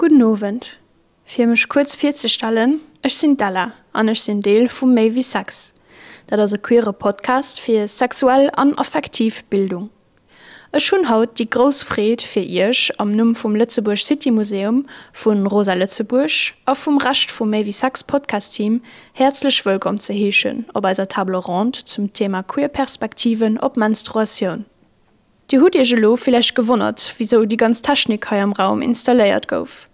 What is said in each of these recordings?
Gudden Owend. Fir mech kuerz virzestellen, Ech sinn d'Ella an ech sinn Deel vu Méi wéi Sex. Dat ass e queere Podcast fir sexuell an affektiv Bildung. Ech hunn haut déi grouss Freed fir Iech am Numm vum Lëtzebuerg City Museum, vu Rosa Lëtzebuerg a vum Rescht vum Méi wéi Sex Podcast Team häerzlech wëllkomm ze heeschen op eiser Table Ronde zum Thema Queer Perspektiven op Menstruatioun. Dir hutt Iech elo villäicht gewonnert, wisou déi ganz Technik hei am Raum installéiert gouf.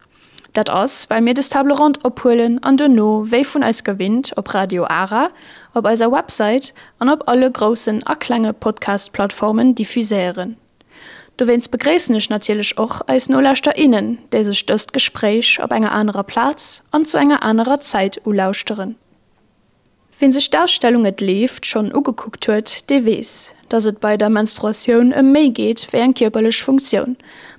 Dat ass, well mir des Table Ronde ophuelen an duerno, wéi vun eis gewinnt, op Radio Ara, op eiser Website an op alle groussen a klenge Podcast-Plattformen diffuséieren. Dowéinst begréissen ech natierlech och eis Nolauschter innen, déi sech dëst Gespréich op enger anerer Plaz an zu enger anerer Zäit ulauschteren. Wien sech d'Ausstellung Et leeft schonn ugekuckt huet, dee weess, dass et bei der Menstruatioun ëm méi geet wéi eng kierperlech Funktioun,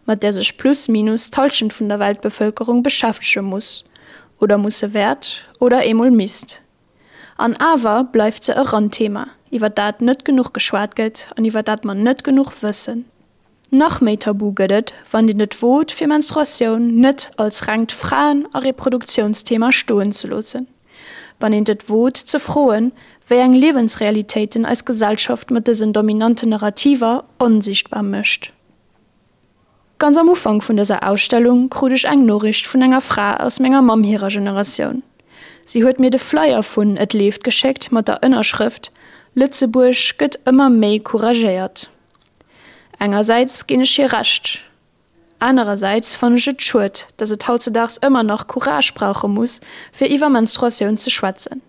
mat där sech plus minus d'Hallschent vun der Weltbevëlkerung beschäftege muss, oder musse wäert, oder eemol misst. An awer bleift se e Randthema, iwwer dat net genuch geschwat gëtt an iwwer dat mer net genuch wëssen. Nach méi tabu gëtt et, wann een et wot, fir Menstruatioun net als rengt Fraen a Reproduktiounsthema stoen ze loossen. Wann eent et wot ze froen, wéi eng Liewensrealitéiten eis Gesellschaft mat dësen dominanten Narrativer onsichtbar mécht. Ganz am Ufank vun dëser Ausstellung krut ech eng Noriicht vun enger Fra aus menger Mamm hirer Generatioun. Si huet mir de Flyer vun Et leeft geschéckt mat der Ënnerschrëft, Lëtzebuerg gëtt ëmmer méi couragéiert. Engersäits ginn ech hir Recht, anerersäits fannen ech et schued, dass et hautzedaags ëmmer nach Courage brauche muss, fir iwwer Menstruatioun ze schwätzen,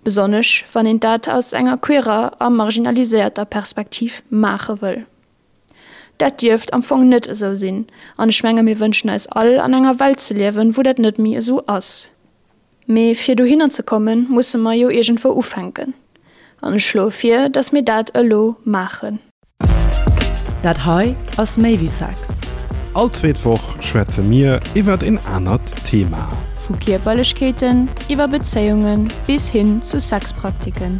besonnesch wann een dat aus enger queerer a marginaliséierter Perspektiv maache wëll. Dat dierft am Fong net esou sinn, an ech menge mir wënschen eis all an enger Welt ze liewen, wou dat net méi esou ass. Mee fir dohinner ze kommen, musse mer jo iergendwou ufänken. An ech schloe vir, dass mir dat elo maachen. Dat hei ass méi wéi Sex. All zweet Woch schwätze mir iwwert een anert Thema. Vu Kierperlechkeeten iwwer Bezéiunge bis hin zu Sexpraktiken.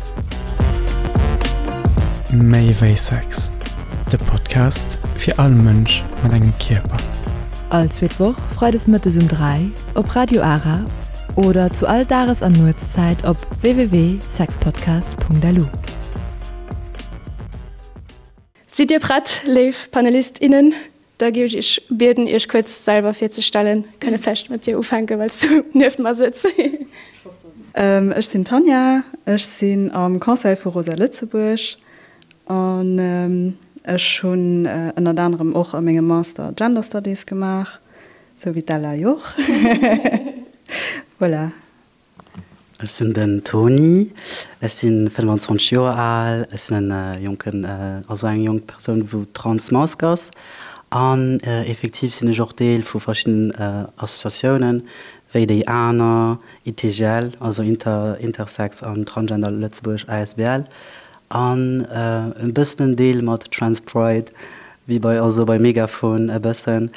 Méi wéi Sex, de Podcast fir all Mënsch mat engem Kierper. All zweet Woch freides mëttes um 3 op Radio Ara oder zu all Dages an Nuetszäit op www.sexpodcast.lu. Sidd Dir prett, léif Panelist, innen? Da géif ech Iech bieden, Iech kuerz selwer virzestellen. Kënne vläicht mat dir ufänken, well s du nieft mer sëtz. Ech sinn d'Tanja, ech sinn am Conseil vu Rosa Lëtzebuerg an ech hunn ënnert anerem och a mengem Master Gender Studies gemaach. Sou wéi d'Ella jo och. Voilà. Ech sinn den Tony, ech si 25 Joer al, ech sinn en jonken, also eng jonk Persoun wou transmasc ass an effektiv sinn ech och Deel vu verschiddenen Associatiounen wéi déi aner, ITGL, also Inter Intersex an Transgender Lëtzebuerg asbl An e bëssen en Deel mat Trans Pride, wéi bei also bei Megaphone e bëssen,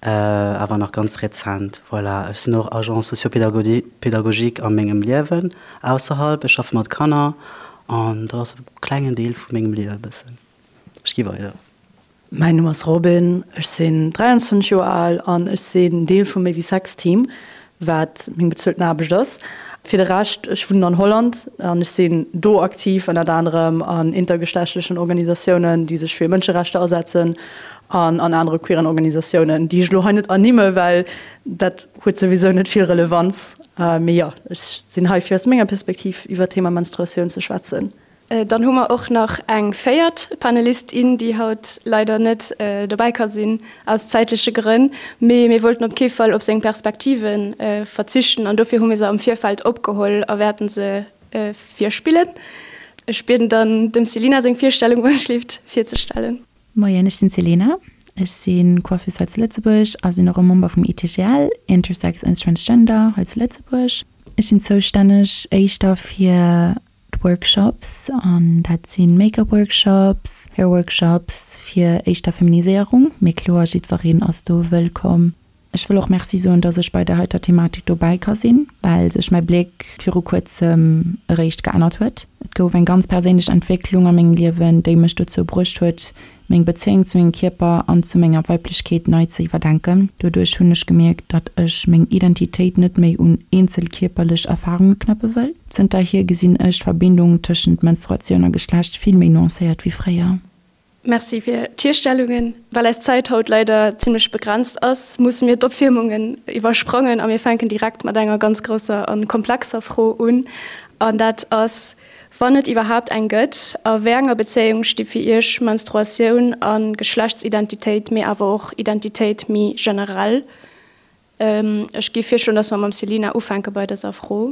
awer nach ganz rezent. Voilà, ech sinn och Agent socio-pédagogique a mengem Liewen ausserhalb. Ech schaffe mat Kanner an dat ass e klengen Deel vu mengem Liewe bëssen. Ech gi weider. Mäin Numm ass Robin, ech sinn 23 Joer al an ech sinn Deel vum Méi wéi Sex Team, wat meng bezuelten Aarbecht ass. Fir de Rescht, ech wunnen an Holland an ech sinn do aktiv ënnert anerem an intergeschlechtlechen Organisatiounen, déi sech fir Mënscherechter asetzen an an anere queeren Organisatiounen, déi ech elo hei net ernimme well dat huet souwisou net vill Relevanz. Mee jo, ech sinn hei fir aus menger Perspektiv iwwer d'Thema Menstruatioun ze schwätzen. Dann hu mer och nach eng véiert Panelistin, déi haut leider net dobäi ka sinn, aus zäitleche Grënn. Mee mir wollten op kee Fall op seng Perspektive verzichten an dofir hu mir se am Virfeld opgeholl a wäerten se virspillen. Ech bieden dann dem Selina seng Virstellung, wann ech leeft, virzestellen. Moien, ech sinn d'Selena. Ech si Coiffeuse hei zu Lëtzebuerg a sinn och e Member vum ITGL, Intersex and Transgender, hei zu Lëtzebuerg. Ech sinn zoustänneg éischter fir D'Workshops, an dat si Make-up Workshops, Hair Workshops fir éischter Feminiséierung, mee kloer jiddwereen ass do wëllkomm. Ech wëll och Merci soen, dass ech bei der heiter Thematik dobäi ka sinn, well sech mäi Bléck viru kuerzem eréischt geännert huet. Et gouf eng ganz perséinlech Entwécklung a mengem Liewen, déi mech dozou bruecht huet, meng Bezéiung zu mengem Kierper an zu menger Weiblechkeet nei ze iwwerdenken. Doduerch hunn ech gemierkt, datt ech meng Identitéit net méi un eenzel kierperlech Erfarunge knäppe wëll. Zënterhier gesinn ech d'Verbindung tëschent Menstruatioun a Geschlecht vill méi nuancéiert wéi fréier. Merci fir d'Virstellungen. Well eis Zäit haut leider zimlech begrenzt ass, musse mir d'Opwiermungen iwwersprangen a mir fänken direkt mat enger ganz grousser a komplexer Fro un, an dat ass, Wann et iwwerhaapt eng gëtt, a wéi enger Bezéiung sti fir Iech Menstruatioun a Geschlechtsidentitéit, mee awer och Identitéit méi generell? Ech géif virschloen, dass mer mam Selina ufänke bei dëser Fro.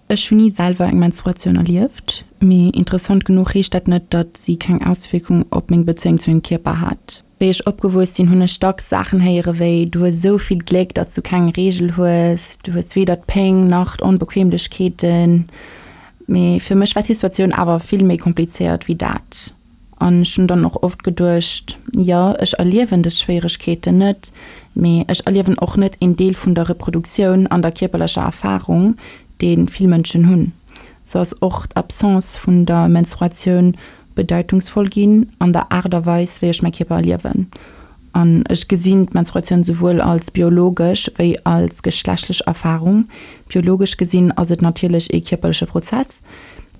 Ech hunn ni selwer eng Menstruatioun erlieft, mee interessant genuch heescht dat net, datt si keng Auswierkung op meng Bezéiung zu mengem Kierper hat. Wéi ech opgewuess sinn, hunn ech dacks Saachen héiere wéi, Du hues esou vill Gléck, datt s du keng Reegel hues, du hues weder d'Péng nach d'Onbequemlechkeeten. Mee fir mech war d'Situatioun awer vill méi komplizéiert wéi dat. An ech hunn dann och oft geduecht, jo, ech erliewen dës Schwéieregkeeten net, mee ech erliewen och net een Deel vun der Reproduktioun an der kierperlecher Erfarung, dee vill Mënschen hunn. Sou ass och d'Absence vun der Menstruatioun bedeitungsvoll ginn an der Aart a Weis, wéi ech mäi Kierper erliewen. An ech gesinn d'Menstruatioun souwuel als biologesch wéi als geschlechtlech Erfarung. Biologesch gesinn ass et natierlech ee kierperleche Prozess,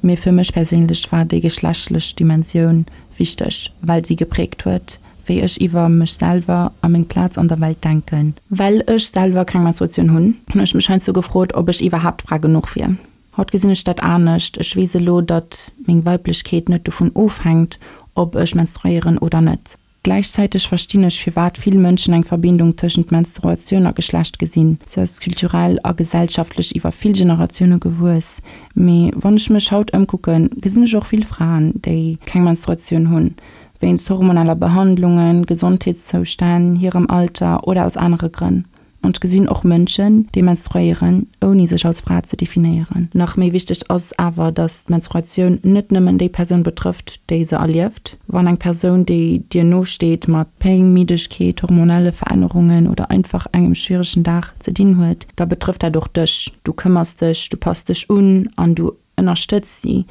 Mee fir mech perséinlech war déi geschlechtlech Dimensioun wichteg, well si gepräägt huet, wéi ech iwwer mech selwer a meng Plaz an der Welt denken. Well ech selwer keng Menstruatioun hunn, hunn ech mech heiansdo gefrot, ob ech iwwerhaapt Fra genuch wier. Haut gesinn ech dat anescht, ech weess elo, datt meng Weiblechkeet net dovun ofhänkt, ob ech menstruéieren oder net. Gläichzäiteg verstinn ech, firwat vill Mënschen eng Verbindung tëschent Menstruatioun a Geschlecht gesinn. Se ass kulturell a gesellschaftlech iwwer vill Generatioune gewuess. Mee wann ech mech haut ëmkucken, gesinn ech och vill Fraen, déi keng Menstruatioun hunn, wéinst hormoneller Behandlungen, Gesondheetszoustänn, hirem Alter oder aus anere Grënn. An ech gesinn och Mënschen, déi menstruéieren, ouni sech als Fra ze definéieren. Nach méi wichteg ass awer, dass d'Menstruatioun net nëmmen déi Persoun betrëfft, déi se erlieft. Wann eng Persoun, déi dir no steet, mat Péng, Middegkeet, hormonelle Verännerungen oder einfach engem schwieregen Dag ze dinn huet, da betrëfft dat och dech. Du këmmers dech, du pass dech un an du ënnerstëtz si.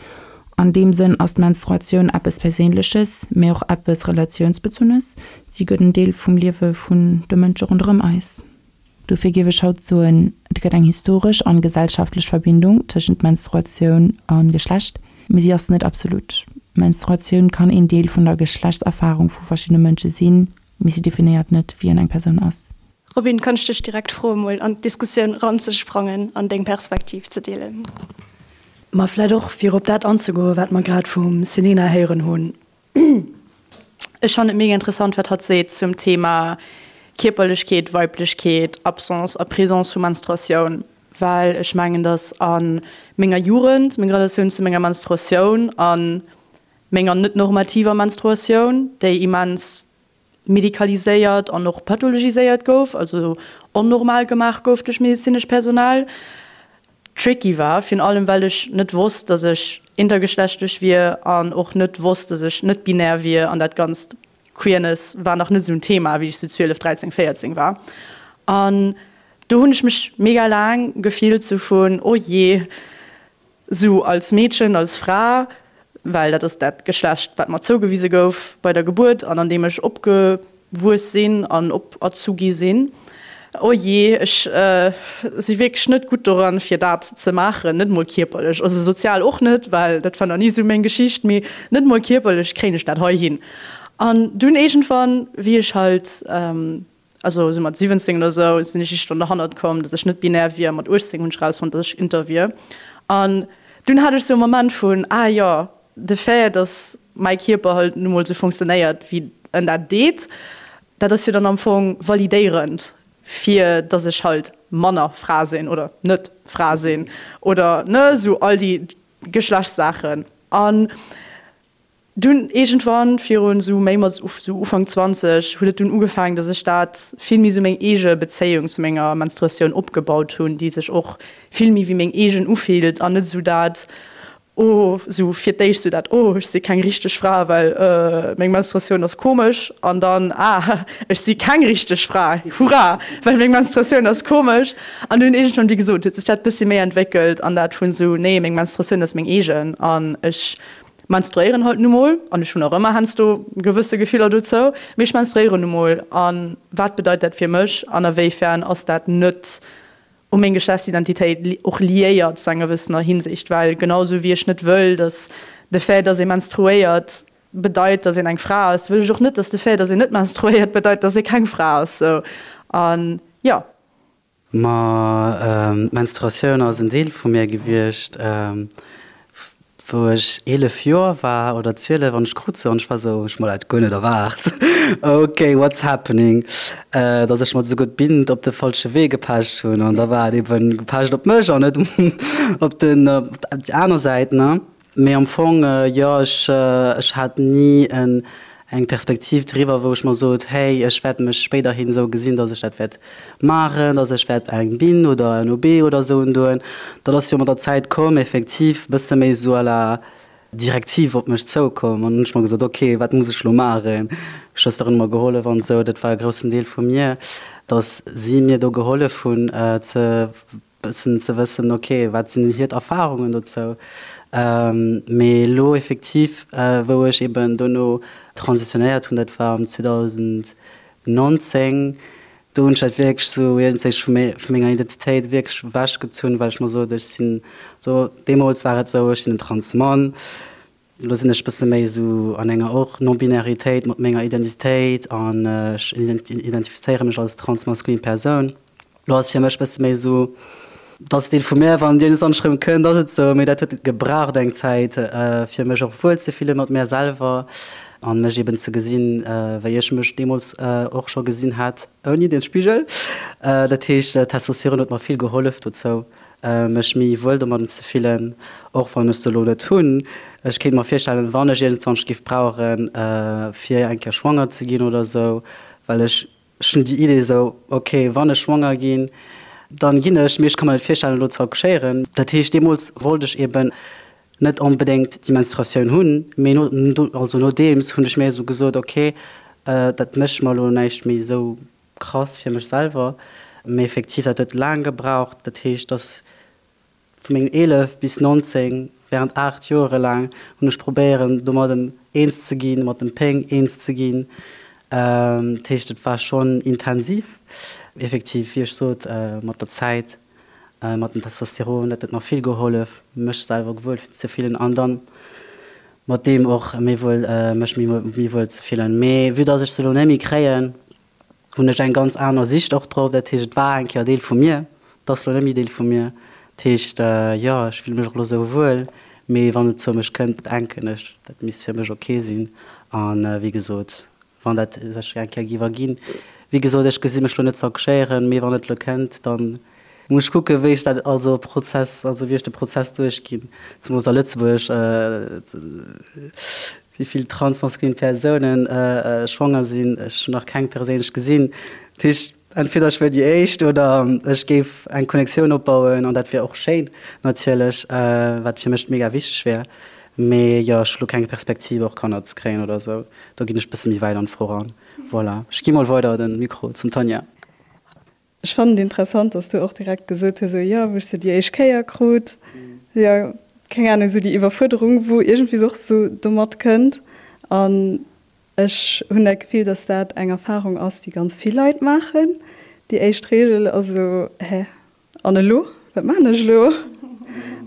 An deem Sënn ass d'Menstruatioun eppes Perséinleches, mee och eppes Relatiounsbezunnes. Si gëtt en Deel vum Liewe vun de Mënsche ronderëm eis. Dofir géif ech haut soen, et gëtt eng historesch an gesellschaftlech Verbindung tëschent Menstruatioun a Geschlecht, mee si ass net absolut. Menstruatioun kann een Deel vun der Geschlechtserfarung vu verschiddene Mënsche sinn, mee si definéiert net, wien eng Persoun ass. Robin, kann ech dech direkt froen mol an d'Diskussioun ranzesprangen an deng Perspektiv ze deelen? Ma vläit och fir op dat anzegoen, wat mer grad vum Selena héieren hunn. Ech fannen et mega interessant, wat hatt seet zum Thema Kierperlechkeet, Weiblechkeet, Absence a Présence vu Menstruatioun, well ech mengen, datt a menger Jugend meng Relatioun zu menger Menstruatioun a menger net normativer Menstruatioun, déi immens medikaliséiert an och pathologiséiert gouf, also onnormal gemaach gouf duerch medezinescht Personal, tricky war, virun allem well ech net wosst, dass ech intergeschlechtlech wier an och net wosst, dass ech net binär wier an dat ganzt Queerness war nach net esou en Thema, wéi ech sou 12, 13, 14 war. An do hunn ech mech mega laang gefillt sou vun, oh jee, Sou als Meedchen, als Fra, well dat ass dat Geschlecht, wat mer zougewise gouf bei der Gebuert an an deem ech opgewuess sinn an operzu gi sinn. Oh jee, ech si wierklech net gutt doran, fir dat ze maachen, net mol kierperlech, also sozial och net, well dat war nach ni sou meng Geschicht, mee net mol kierperlech kréien ech dat hei hin. An dunn iergendwann, wéi ech halt Also esou mat 17 oder esou sinn ech iergendwann derhannert komm, dass ech net binär wier. Mat 18 hunn ech erausfonnt, dass ech inter wier. An dunn hat ech esou e Moment vun, ah jo, de Fait, dass mäi Kierper halt nu mol esou funktionéiert, wéi en dat deet, dat ass jo dann am Fong validéierend, fir dass ech halt manner Fra sinn oder net Fra sinn oder, ne, esou all déi Geschlechtssaachen. An Dunn iergendwann, virun esou méi mat esou Ufank 20, huet et dunn ugefaangen, dass ech dat vill méi esou meng eege Bezéiung zu menger Menstruatioun opgebaut hunn, déi sech och vill méi wéi meng eegen ufillt an net esou dat, oh, esou fir d'éischt esou dat, oh, ech si keng richteg Fra, well meng Menstruatioun ass komesch an dann, ah, ech si keng richteg Fra, hurra, well meng Menstruatioun ass komesch. An dunn iergendwann, wéi gesot, huet sech dat bëssi méi entwéckelt an dat vun esou, nee, meng Menstruatioun ass meng eegen an ech. menstruéieren halt nu mol, an ech hunn nach ëmmer heiansdo gewësse Gefiller dozou, mee ech menstruéieren nu mol a wat bedeit dat fir mech an a wéifern ass dat net u meng Geschlechtsidentitéit och liéiert zu enger gewëssener Hinsicht, well genau esou wéi ech net wëll, datt de Fait, datt ee menstruéiert, bedeit, datt een eng Fra ass, wëll ech och net, datt de Fait, datt een net menstruéiert, bedeit, datt ee keng Fra ass. Sou, an jo. Ma d'Menstruatioun ass en Deel vu mir gewiescht, wou ech 11 Joer war oder 12 an ech krut se an ech war sou, ech hu mer dat guer net erwaart, ok, what's happening, dass ech mer esouguer d'Bind op de falsche Wee gepecht hunn an da war et eben gepecht op mech an net op den, op déi aner Säit, ne. Mee am Fong, jo, ech, ech hat ni en, eng Perspektiv driwwer, wou ech mer sot, hey, ech wäert mech spéiderhin esou gesinn, dass ech dat wäert maachen, dass ech wäert eng Binn oder en OB oder esou undoen. Dat ass jo mat der Zäit komm, effektiv, e bësse méi esou à la directive op mech zoukomm. An hunn ech mer gesot, ok, wat muss ech elo maachen? Schwësteren hu mer gehollef an esou. Dat war e groussen Deel vu mir, dass si mir do gehollef hunn ze Bëssen ze wëssen, ok, wat sinn hiert Erfahrungen dozou. Mee elo effektiv, wou ech eben dono transitionéiert hunn, dat war am 2019, do hunn ech dat wierklech esou iergendwéi vu vu menger Identitéit wierklech ewechgezunn, well ech mer sot, ech sinn esou, deemools war et esou, ech sinn en Transmann, Elo sinn ech bësse méi esou an enger och Non-Binaritéit mat menger Identitéit an ech identifizéiere mech als transmaskulin Persoun. Elo ass fir mech bësse méi esou, dat ass Deel vu mär, wann Dir es anschreiwen kënnt, ass et esou, mee dat huet gebraucht eng Zäit fir mech och wuel ze fille mat mär selwer an mech eben ze gesinn, wéi ech mech deemools och scho gesinn hat ouni den Spigel. Dat heescht Testosteron huet mer vill gehollef dozou. mech méi wuel domadden ze fillen, och wann ech se elo net hunn. Ech kéint mer virstellen, wann ech iergendzwanch giff brauchen, fir eng Kéier schwanger ze ginn oder esou, well ech ech hunn déi Idee esou, ok, wann ech schwanger ginn, dann ginn ech, mee ech ka mer net virstellen, elo ze accouchéieren. Dat heescht, deemools wollt ech eben net onbedéngt déi Menstruatioun hunn, mee no, also nodeems hunn ech mir esou gesot, ok, dat mécht mer elo näischt méi esou Krass fir mech selwer, mee effektiv dat huet laang gebraucht. Dat heescht dass vu mengen 11 bis 19, während 8 Joere laang hunn ech probéieren domadden eens ze ginn, mat dem Péng eens ze ginn. Dat heescht et war schonn intensiv effektiv, wéi ech sot, mat der Zäit, mat dem Testosteron, dat huet mer vill gehollef mech selwer wuel ze fillen an dann mat deem och méi wuel mech méi wuel ze fillen. Mee vue dass ech se elo net méi kréien, hunn ech eng ganz aner Sicht och drop. Dat heescht, et war eng Kéier Deel vu mir, et ass lo net méi Deel vu mir. Dat heescht, jo, ech fille mech och lo sou wuel, mee wann et zou mech kënnt, denken ech, dat misst fir mech ok sinn. A wéi gesot, wann dat sech eng Kéier géif erginn, wéi gesot, ech gesi mech lo net z'accouchéieren, mee wann et lo kënnt, dann muss ech kucken, wéi ech dat also Prozess, also wéi ech de Prozess duerchginn, zemools a Lëtzebuerg. Wéi vill transmaskulin Persounen schwanger sinn, ech hunn nach keng perséinlech gesinn. Dat heescht, entweder ech wier déi éischt oder ech géif eng Connectioun opbauen an dat wier och schéin natierlech, wat fir mech mega wichteg wär. Mee jo, ech hu lo keng Perspektiv och Kanner ze kréien oder esou. Do ginn ech bësse méi wäit an d'Fro ran. Voilà, ech gi mol weider de Mikro zum Tanja. Ech fannen et interessant, dass du och direkt gesot hues, esou, jo, wou ech se déi éischt Kéier krut, jo, keng Ahnung, esou déi Iwwerfuerderung, wou iergendwéi och esou domat kënnt. An ech hunn dat Gefill, dass dat eng Erfarung ass, déi ganz vill Leit maachen. Déi éischt Reegel ass esou, Hä, an elo? Wat maachen ech elo?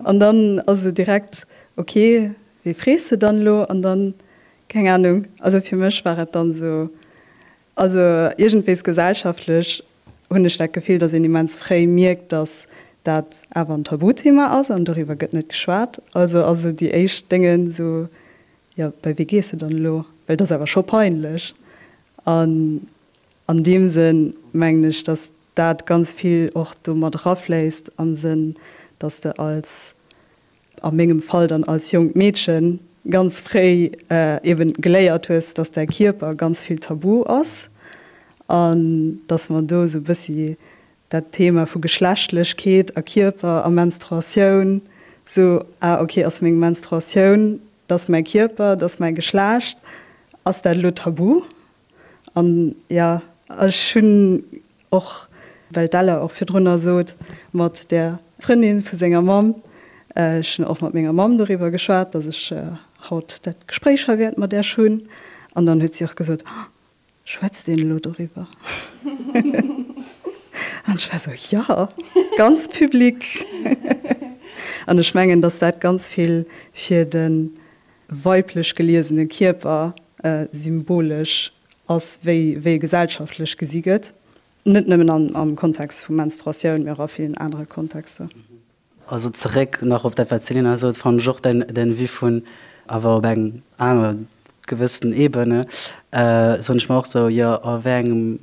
An dann ass esou direkt, ok, wéi frees de dann elo? An dann, keng Ahnung, also fir mech war et dann esou, Also iergendwees gesellschaftlech hunn ech dat Gefill, datt een immens fréi mierkt, datt dat awer en Tabuthema ass an doriwwer gëtt net geschwat. Also ass esou déi éischt Déngen esou, jo bei wie gees de dann elo, well et ass awer scho peinlech. An an deem Sënn mengen ech, datt dat ganz vill och do mat erafléisst am Sënn, datt de als a mengem Fall dann als jonkt Meedchen, ganz fréi eben geléiert hues, dass däi Kierper ganz vill tabu ass an dass mer do esou e bëssi dat Thema vu Geschlechtlechkeet a Kierper a Menstruatioun esou, ah ok, ass meng Menstruatioun, dat ass mäi Kierper, dat ass mäi Geschlecht, ass dat elo tabu? An jo, ech hunn och, well d'Ella och virdrunner sot, mat där Frëndin vu senger Mamm, ech hunn och mat menger Mamm doriwwer geschwat, datt ech. haut dat Gespréich hei wäert mat Iech hunn. An dann huet si och gesot, Oh, schwätzt een elo doriwwer? An ech war esou, Jo, ganz public. An ech mengen, dass dat ganz vill fir de weiblech geliesene Kierper symbolesch ass, wéi e gesellschaftlech gesi gëtt. Net nëmmen am Kontext vu Menstruatioun, mee och a villen anere Kontexter. Also zeréck nach op dat wat d'Selina sot, fannen ech och däin Vue vun awer op eng aner gewëssen Ebene, soen ech mer och sou, jo a wéi engem,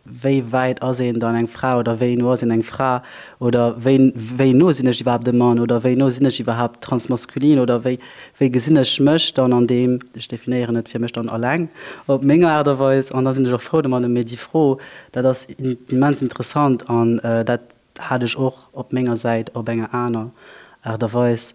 wéi wäit ass een dann eng Fra oder wéi no ass een eng Fra oder wéi wéi no sinn ech iwwerhaapt e Mann oder wéi no sinn ech iwwerhaapt transmaskulin oder wéi wéi gesinn ech mech dann an deem, ech definéieren et fir mech dann alleng op meng Aart a Weis an da sinn ech och frou domadden. Mee déi Fro, dat ass immens interessant an dat Hat ech och op menger Säit op enger aner Aart a Weis.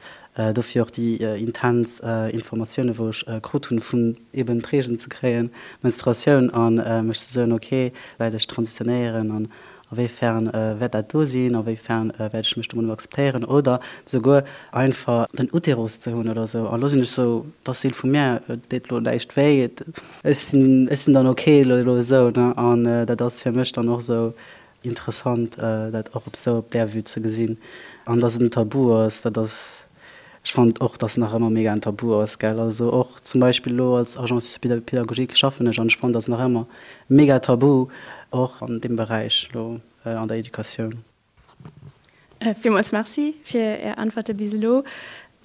Dofir och déi intens Informatioune wou ech krut hunn vun eben d'Reegelen ze kréien, Menstruatioun, a mech ze soen, ok, wäert ech transitionéieren an a wéi fern wäert dat do sinn, a wéi fern wäert ech mech domadder akzeptéieren oder souguer einfach den Uterus ze hunn oder sou. An elo sinn ech sou, et ass Deel vu mir, et deet elo näischt wéi, ech sinn, ech sinn dann ok elo esou, ne. An dat ass fir mech dann och sou Interessant dat och op sou op där Vue ze gesinn. An dass et en Tabu ass, dat ass, ech fannen och dass nach ëmmer mega en Tabu ass, gell. Also och zum Beispill elo als Agent socio-pédagogique schaffen ech an ech fannen dass nach ëmmer mega Tabu och an deem Beräich elo an der Educatioun. Villmools Merci fir Är Äntwerte bis elo.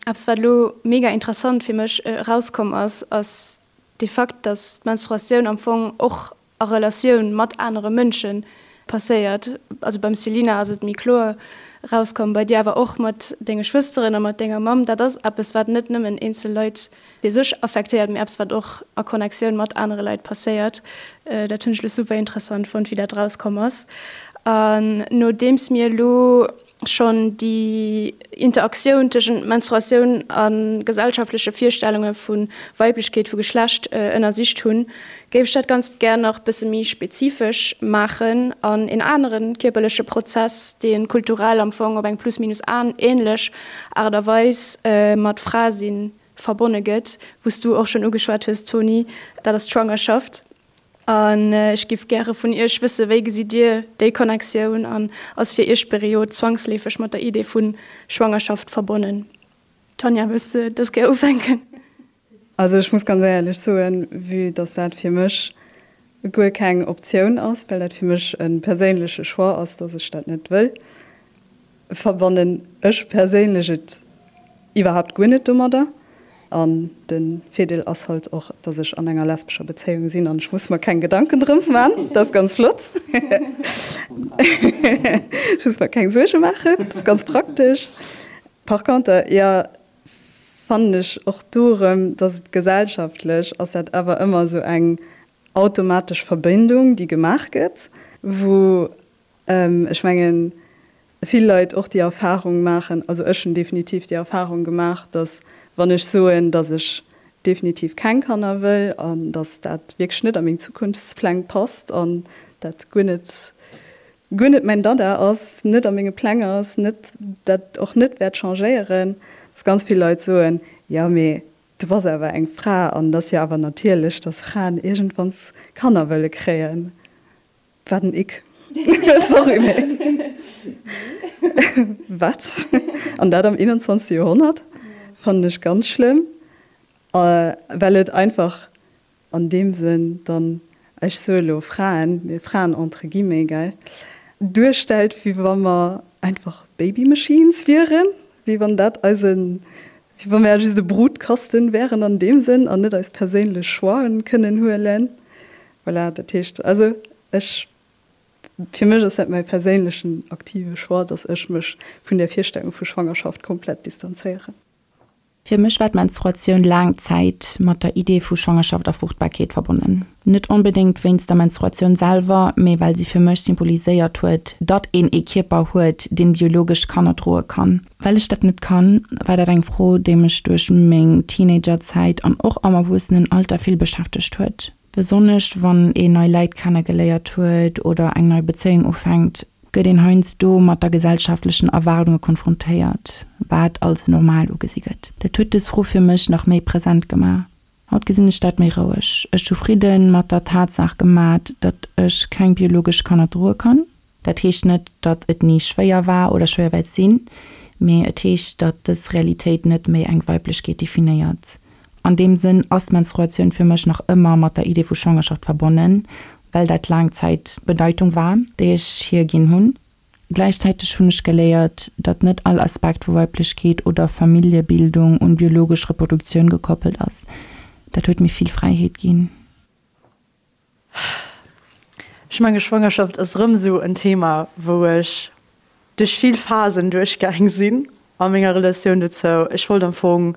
Eppes wat elo mega interessant fir mech erauskomm ass, ass de Fakt, dass d'Menstruatioun am Fong och a Relatioun mat anere Mënsche passéiert. Also beim Selina ass et méi kloer erauskomm, bei dir awer och mat denge Schwësteren a mat denger Mamm. Dat ass eppes, wat net nëmmen eenzel Leit fir sech affektéiert, mee eppes, wat och a Connectioun mat anere Leit passéiert. Dat hunn ech elo super interessant fonnt, wéi dat erauskomm ass. An nodeems mir elo schonn déi Interaktioun tëschent Menstruatioun a gesellschaftleche Virstellunge vu Weiblechkeet, vu Geschlecht ënnersicht hunn, géif ech dat Ganzt gär nach bësse méi spezifesch maachen an een anere kierperleche Prozess, dee kulturell am Fong op eng plus minus änlech Aart a Weis mat Frasinn verbonne gëtt, wou s du och schonn ugeschwat hues, Tony, dat ass d'Schwangerschaft. An ech giff gäre vun Iech wësse, wéi gesitt Dir déi Connectioun an ass fir Iech d'Period zwangsleefeg mat der Idee vu Schwangerschaft verbonnen? Tanja, wëlls de dës Kéier ufänken? Also ech muss ganz éierlech soen, vue dass dat fir mech guer keng Optioun ass, well dat fir mech e perséinleche Choix ass, dass ech dat net wëll, verbannen ech perséinlech et iwwerhaapt guer net domadder. An de Virdeel ass halt och, dass ech an enger lesbescher Bezéiung sinn an ech muss mer keng Gedanken drëms man. Dat ass ganz flott. Ech muss mer keng Suerge maachen, dat ass ganz praktesch. Par conter, jo, fannen ech och do erëm, dass et gesellschaftlech ass dat awer ëmmer esou eng automatesch Verbindung, déi gemaach gëtt, wou Ech mengen, vill Leit och déi Erfahrung maachen, also ech hunn definitiv déi Erfahrung gemaach, datt wann ech soen, datt ech definitiv keng Kanner wëll an datt dat wierklech net a meng Zukunftspläng passt an dat guer net, guer net mäin Dada ass, net a menge Pläng ass, net dat och net wäert changéieren, datt ganz vill Leit soen, jo mee du bass awer eng Fra an et ass jo awer natierlech, datt Fraen iergendwanns Kanner wëlle kréien. Wat en Ick. Sorry mee wat? An dat am 21. Joerhonnert? Fannen ech ganz schlëmm, well et einfach an deem Sënn dann, ech soe lo Fraen, mee Fraen entre guillemets, gell, duerstellt, wéi wa mer einfach Baby Machines wieren, wéi wann dat eisen, wéi wa mer just e Brutkasten wären an deem Sënn an net eis perséinlech Choixen kënnen huelen. Voilà, dat heescht also ech, fir mech ass dat mäi perséinlechen aktive Choix, dass ech mech vun där Virstellung vu Schwangerschaft komplett distanzéieren. Fir mech war d'Menstruatioun laang Zäit mat der Idee vu Schwangerschaft a Fruchtbarkeet verbonnen. Net onbedéngt wéinst der Menstruatioun selwer, mee well si fir mech symboliséiert huet, datt een ee Kierper huet, deen biologesch Kanner droe kann. Well ech dat net kann, war dat eng Fro, déi mech duerch meng Teenagerzäit an och am Erwuessenenalter vill beschäftegt huet. Besonnesch wann een nei Läit kennegeléiert huet oder eng nei Bezéiung ufänkt. gëtt een heiansdo mat der gesellschaftlechen Erwaardunge konfrontéiert, wat als normal ugesi gëtt. Dat huet dës Fro fir mech nach méi present gemaach. Haut gesinn ech dat méi roueg. Ech hu Fridde mat der Tatsaach gemat, datt ech keng biologesch Kanner droe kann. Dat heescht net, datt et ni schwéier war oder schwéier wäert sinn, mee et heescht, datt dës Realitéit net méi eng Weiblechkeet definéiert. An deem Sënn ass d'Menstruatioun fir mech nach ëmmer mat der Idee vu Schwangerschaft verbonnen, well dat laang Zäit d'Bedeitung war, déi ech hir ginn hunn. Gläichzäiteg hunn ech geléiert, datt net all Aspekt vu Weiblechkeet oder Familljebildung un biologesch Reproduktioun gekoppelt ass. Dat huet mir vill Fräiheet ginn. Ech menge Schwangerschaft ass erëm esou en Thema, wou ech duerch vill Phasen duerchgaang sinn a menger Relatioun dozou. Ech wollt am Fong,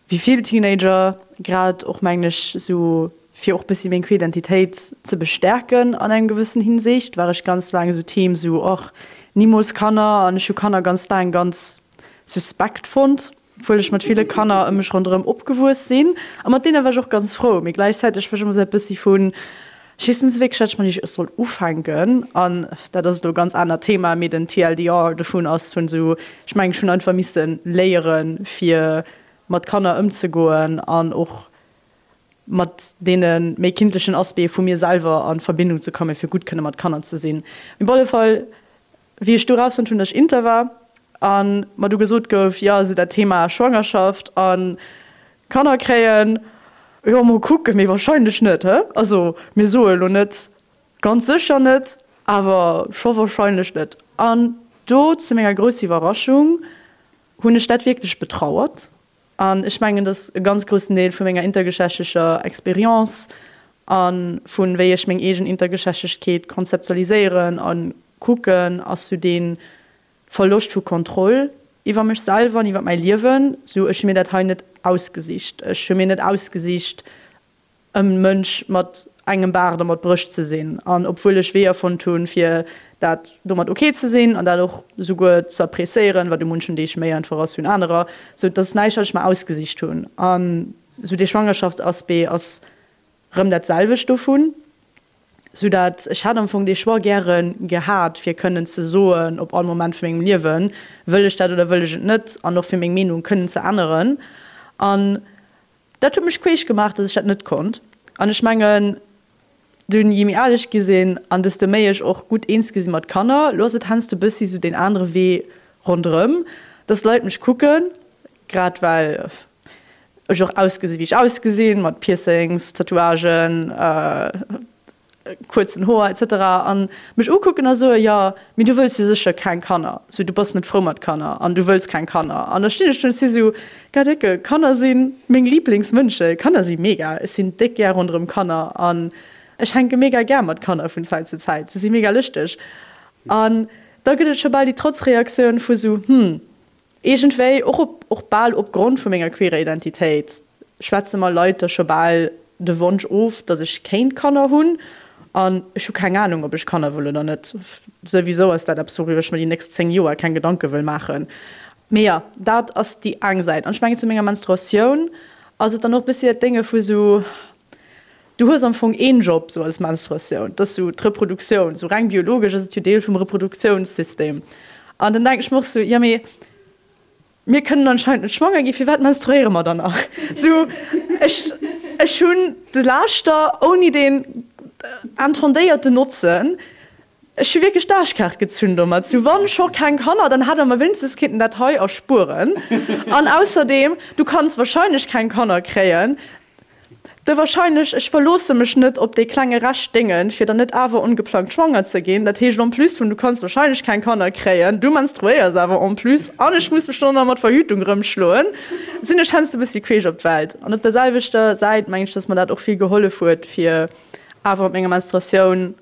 wéi vill Teenager, grad och mengen ech esou fir och bëssi meng queer Identitéit ze bestärken an engem gewëssen Hinsicht, war ech ganz laang esou Team esou, och nimools Kanner an ech hu Kanner ganz laang ganz suspekt fonnt. Obwuel ech mat ville Kanner ëm mech ronderëm opgewuess sinn. A mat deene war ech och ganz frou. Mee gläichzäiteg war ech ëmmer esou e bëssi vun, ech weess net esou wierklech, wat ech mat iech soll ufänken. An dat ass elo e ganz anert Thema, mee den TLDR dovun ass vun esou, ech mengen, ech hunn einfach misse léieren, fir mat Kanner ëmzegoen an och mat deene méi kindlechen Aspecte vu mir selwer a Verbindung ze kommen, fir gutt kënne mat Kanner ze sinn. Mee op alle Fall Wéi ech du rausfonnt hunn, dass ech inter war a mer du gesot gouf, jo, esou dat Thema Schwangerschaft a Kanner kréien, jo, mol kucken, mee wahrscheinlech net, hä? Also mir soe lo net ganz sécher net, awer scho wahrscheinlech net. An do, zu menger grousser Iwwerraschung, hunn ech dat wierklech betrauert. An ech mengen, dass e ganz groussen Deel vu menger intergeschlechtlecher Expérience a vu wéi ech meng eegen Intergeschlechtlechkeet konzeptualiséieren a kucken, ass sou dee Verloscht vu Kontroll iwwer mech selwer an iwwer mäi Liewen. Sou, ech hu mir dat hei net ausgesicht. Ech hu mir net ausgesicht, e Mënsch mat engem Baart a mat Brëscht ze sinn. An obwuel ech Weeër fonnt hunn, fir dat domat ok ze sinn an dat och souguer ze appréciéieren, wat u munchen Deeg méi einfach ass wéi un anerer, sou et ass näischt, wat ech mer ausgesicht hunn. An sou dee Schwangerschaftsaspect ass rëm dat selwecht dovun, sou dat ech hätt am Fong dee Choix gäre gehat, fir kënnen ze soen op all Moment vu mengem Liewen, wëll ech dat oder wëll ech et net, an och fir meng Meenung kënnen ze änneren. An Dat huet mech queesch gemaach, dass ech dat net konnt. An ech mengen, dunn, jee méi al ech gi sinn an desto méi ech och gutt eens gi si mat Kanner, lo ass et heiansdo bëssi sou deen anere Wee ronderëm, dass Leit mech kucken, grad well ech och ausgesi wéi ech ausgesinn, mat Piercings, Tatouagen, kuerzen Hoer etc. An mech ukucken a soen, jo, mee du wëlls jo sécher keng Kanner, sou du bass net frou mat Kanner an du wëlls keng Kanner. An da stinn ech do an si sou, Gadecke, Kanner si meng Liblingsmënschen, Kanner si mega, ech sinn déck gär ronderëm Kanner an ech hänke mega gär mat Kanner vun Zäit zu Zäit, se si mega lëschteg. An da gëtt et scho bal déi Trotzreaktioun vu sou, hm, Iergendwéi, och op och bal opgrond vu menger queerer Identitéit, schwätze mer Leit da scho bal de Wonsch of, datt ech kéint Kanner hunn. An ech hu keng Anung, ob ech Kanner wëll oder net. Souwisou ass dat eppes, wouriwwer ech mer déi nächst 10 Joer keng Gedanke wëll maachen. Mee jo, dat ass déi eng Säit. An ech mengen, zu menger Menstruatioun ass et dann och e bëssi dat Dénge vu sou, Du hues am Fong een Job sou als Menstruatioun, dat ass sou d'Reproduktioun, sou reng biologesch ass et jo Deel vum Reproduktiounssystem. An dann denken ech mer och sou, jo mee mir kënnen anscheinend net schwanger ginn, firwat menstruéiere mer dann nach? Sou ech ech hunn de Laaschter ouni deen intendéierten Notzen. Ech hu wierklech d'Aarschkaart gezunn domat. Sou wann scho keng Kanner, dann hätt der mer wéinstens kinnten dat hei erspueren. An ausserdeem, du kanns wahrscheinlech keng Kanner kréien. De wahrscheinlech, ech verloosse mech net op dee klenge Rescht Déngen, fir dann net awer ongeplangt schwanger ze ginn. Dat heescht en plus vun du kanns wahrscheinlech keng Kanner kréien, du menstruéiers awer en plus an ech muss mech dann och nach mat Verhütung rëmschloen, sinn ech heiansdo e bëssi queesch op d'Welt. An op der selwechter Säit mengen ech, dass mer dat och vill gehollef huet, fir awer mat menger Menstruatioun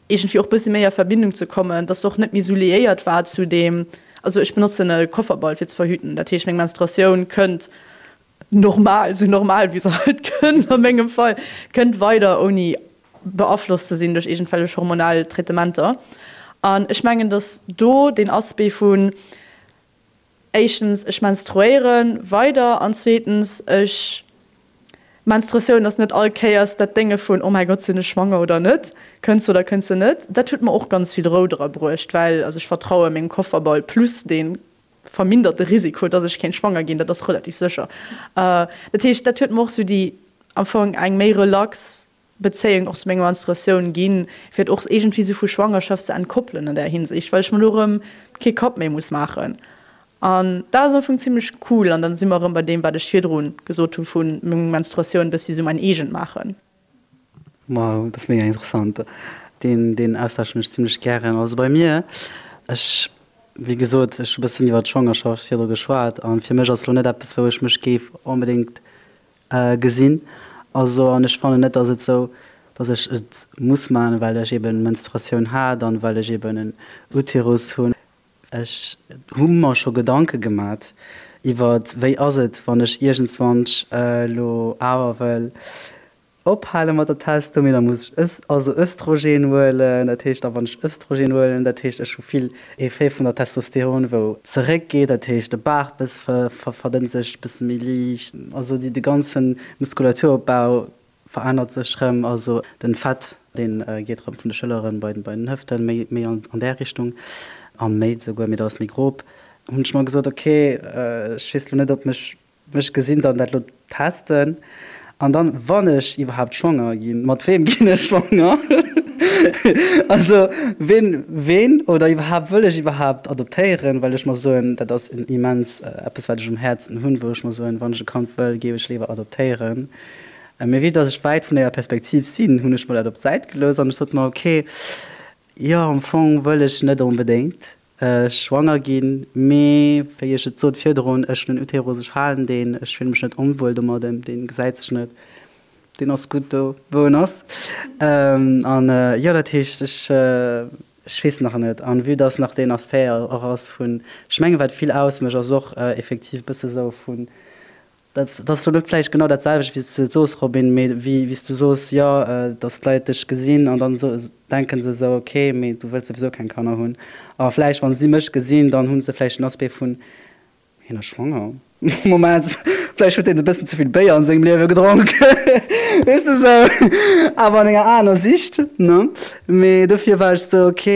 iergendwéi och bëssi méi a Verbindung ze kommen, dass se och net méi esou liéiert war zu deem, also ech benotzen e Kofferball fir ze verhüten, dat heescht meng Menstruatioun kënnt normal, esou normal wéi se halt kënnt a mengem Fall, kënnt weider ouni beaflosst ze sinn duerch iergendwellech hormonell Traitementer. An ech mengen, dass do deen Aspect vun éischtens, ech menstruéiere weider an zweetens, ech. Menstruatioun ass net all Kéiers dat Dénge vun, oh mäi Gott, sinn ech schwanger oder net, kënnt se oder kënnt se net. Dat huet mer och ganz vill Rou dra bruecht, well also ech vertraue mengem Kofferball plus dee verminderte Risiko, dass ech kéint schwanger ginn, dat ass relativ sécher. Dat heescht, dat huet mer och sou déi am Fong eng méi relax Bezéiung och zu menger Menstruatioun ginn, fir et och iergendwéi sou vu Schwangerschaft ze entkoppelen an där Hinsicht, well ech mer lo erëm kee Kapp méi muss maachen. An dat ass am Fong zimmlech cool. An dann si mer erëm bei deem, wat ech virdru gesot hu vu meng Menstruatioun bëssi sou mäin eegent maachen. Wow, dat ass mega interessant. Deen, deen Austausch hunn ech zimmlech gären. Also bei mir, ech, wéi gesot, ech hu bëssen iwwer d'Schwangerschaft virdru geschwat an fir mech ass lo net eppes, wou ech mech géif onbedéngt gesinn. Also an ech fannen net, dass et sou, dass ech et muss maachen, well ech eben Menstruatioun hat an well ech eben en Uterus hunn. Ech hu mer scho Gedanke gemat iwwert wéi ass et, wann ech iergendswann elo awer wëll ophale mat der Testo, mee da muss ech also Östrogen huelen. Dat heescht da wann ech Östrogen huelen, dat heescht ech hu vill Effet vun der Testosteron wou zeréck geet, dat heescht de Baach bëss verdënnt sech bësse méi liicht, also déi de ganzen Muskulaturopbau verännert sech rëm, also den Fett deen geet rëm vun de Schëlleren bei den Hëften, méi méi an där Richtung an méi souguer, mee dat ass méi grob. Hunn ech mer gesot, ok ech weess lo net ob mech mech gesinn, dann dat lo testen an dann wann ech iwwerhaapt schwanger ginn, mat weem ginn ech schwanger? Also ween ween oder iwwerhaapt wëll ech iwwerhaapt adoptéieren, well ech mer soen, dat ass en immens eppes wat ech um Häerzen hunn, wou ech mer soen, wann ech e Kand wëll, géif ech léiwer adoptéieren. Mee vue dass ech wäit vun deeër Perspektiv sinn, hunn ech mer dat op d'Säit gelooss an ech sot mer, ok, jo am Fong wëll ech net onbedéngt schwanger ginn, mee wéi ech et sot virdrun, ech hunn en Uterus, ech halen deen, ech fille mech net onwuel domadden, deen gesäit sech net, deen ass gutt do wou en ass. An jo, dat heescht ech ech weess nach net. An vue dass nach deen Aspect och ass vun, ech mengen wat vill ausmécht ass och effektiv e bësse sou vun, Dat ass elo net vläicht genau dat selwecht, wéi s de et soos, Robin, mee wéi s du soos, jo, datt d'Leit dech gesinn an dann denke se esou, ok, mee du wëlls souwisou keng Kanner hunn. A vläicht, wa si mech gesinn, dann hu se vläicht den Aspect vun, hien ass schwanger, Moment, vläicht huet deen e bëssen ze vill Béier an sengem Liewe gedronk, weess de, esou, awer an enger aner Sicht, ne? Mee dofir war ech esou, ok,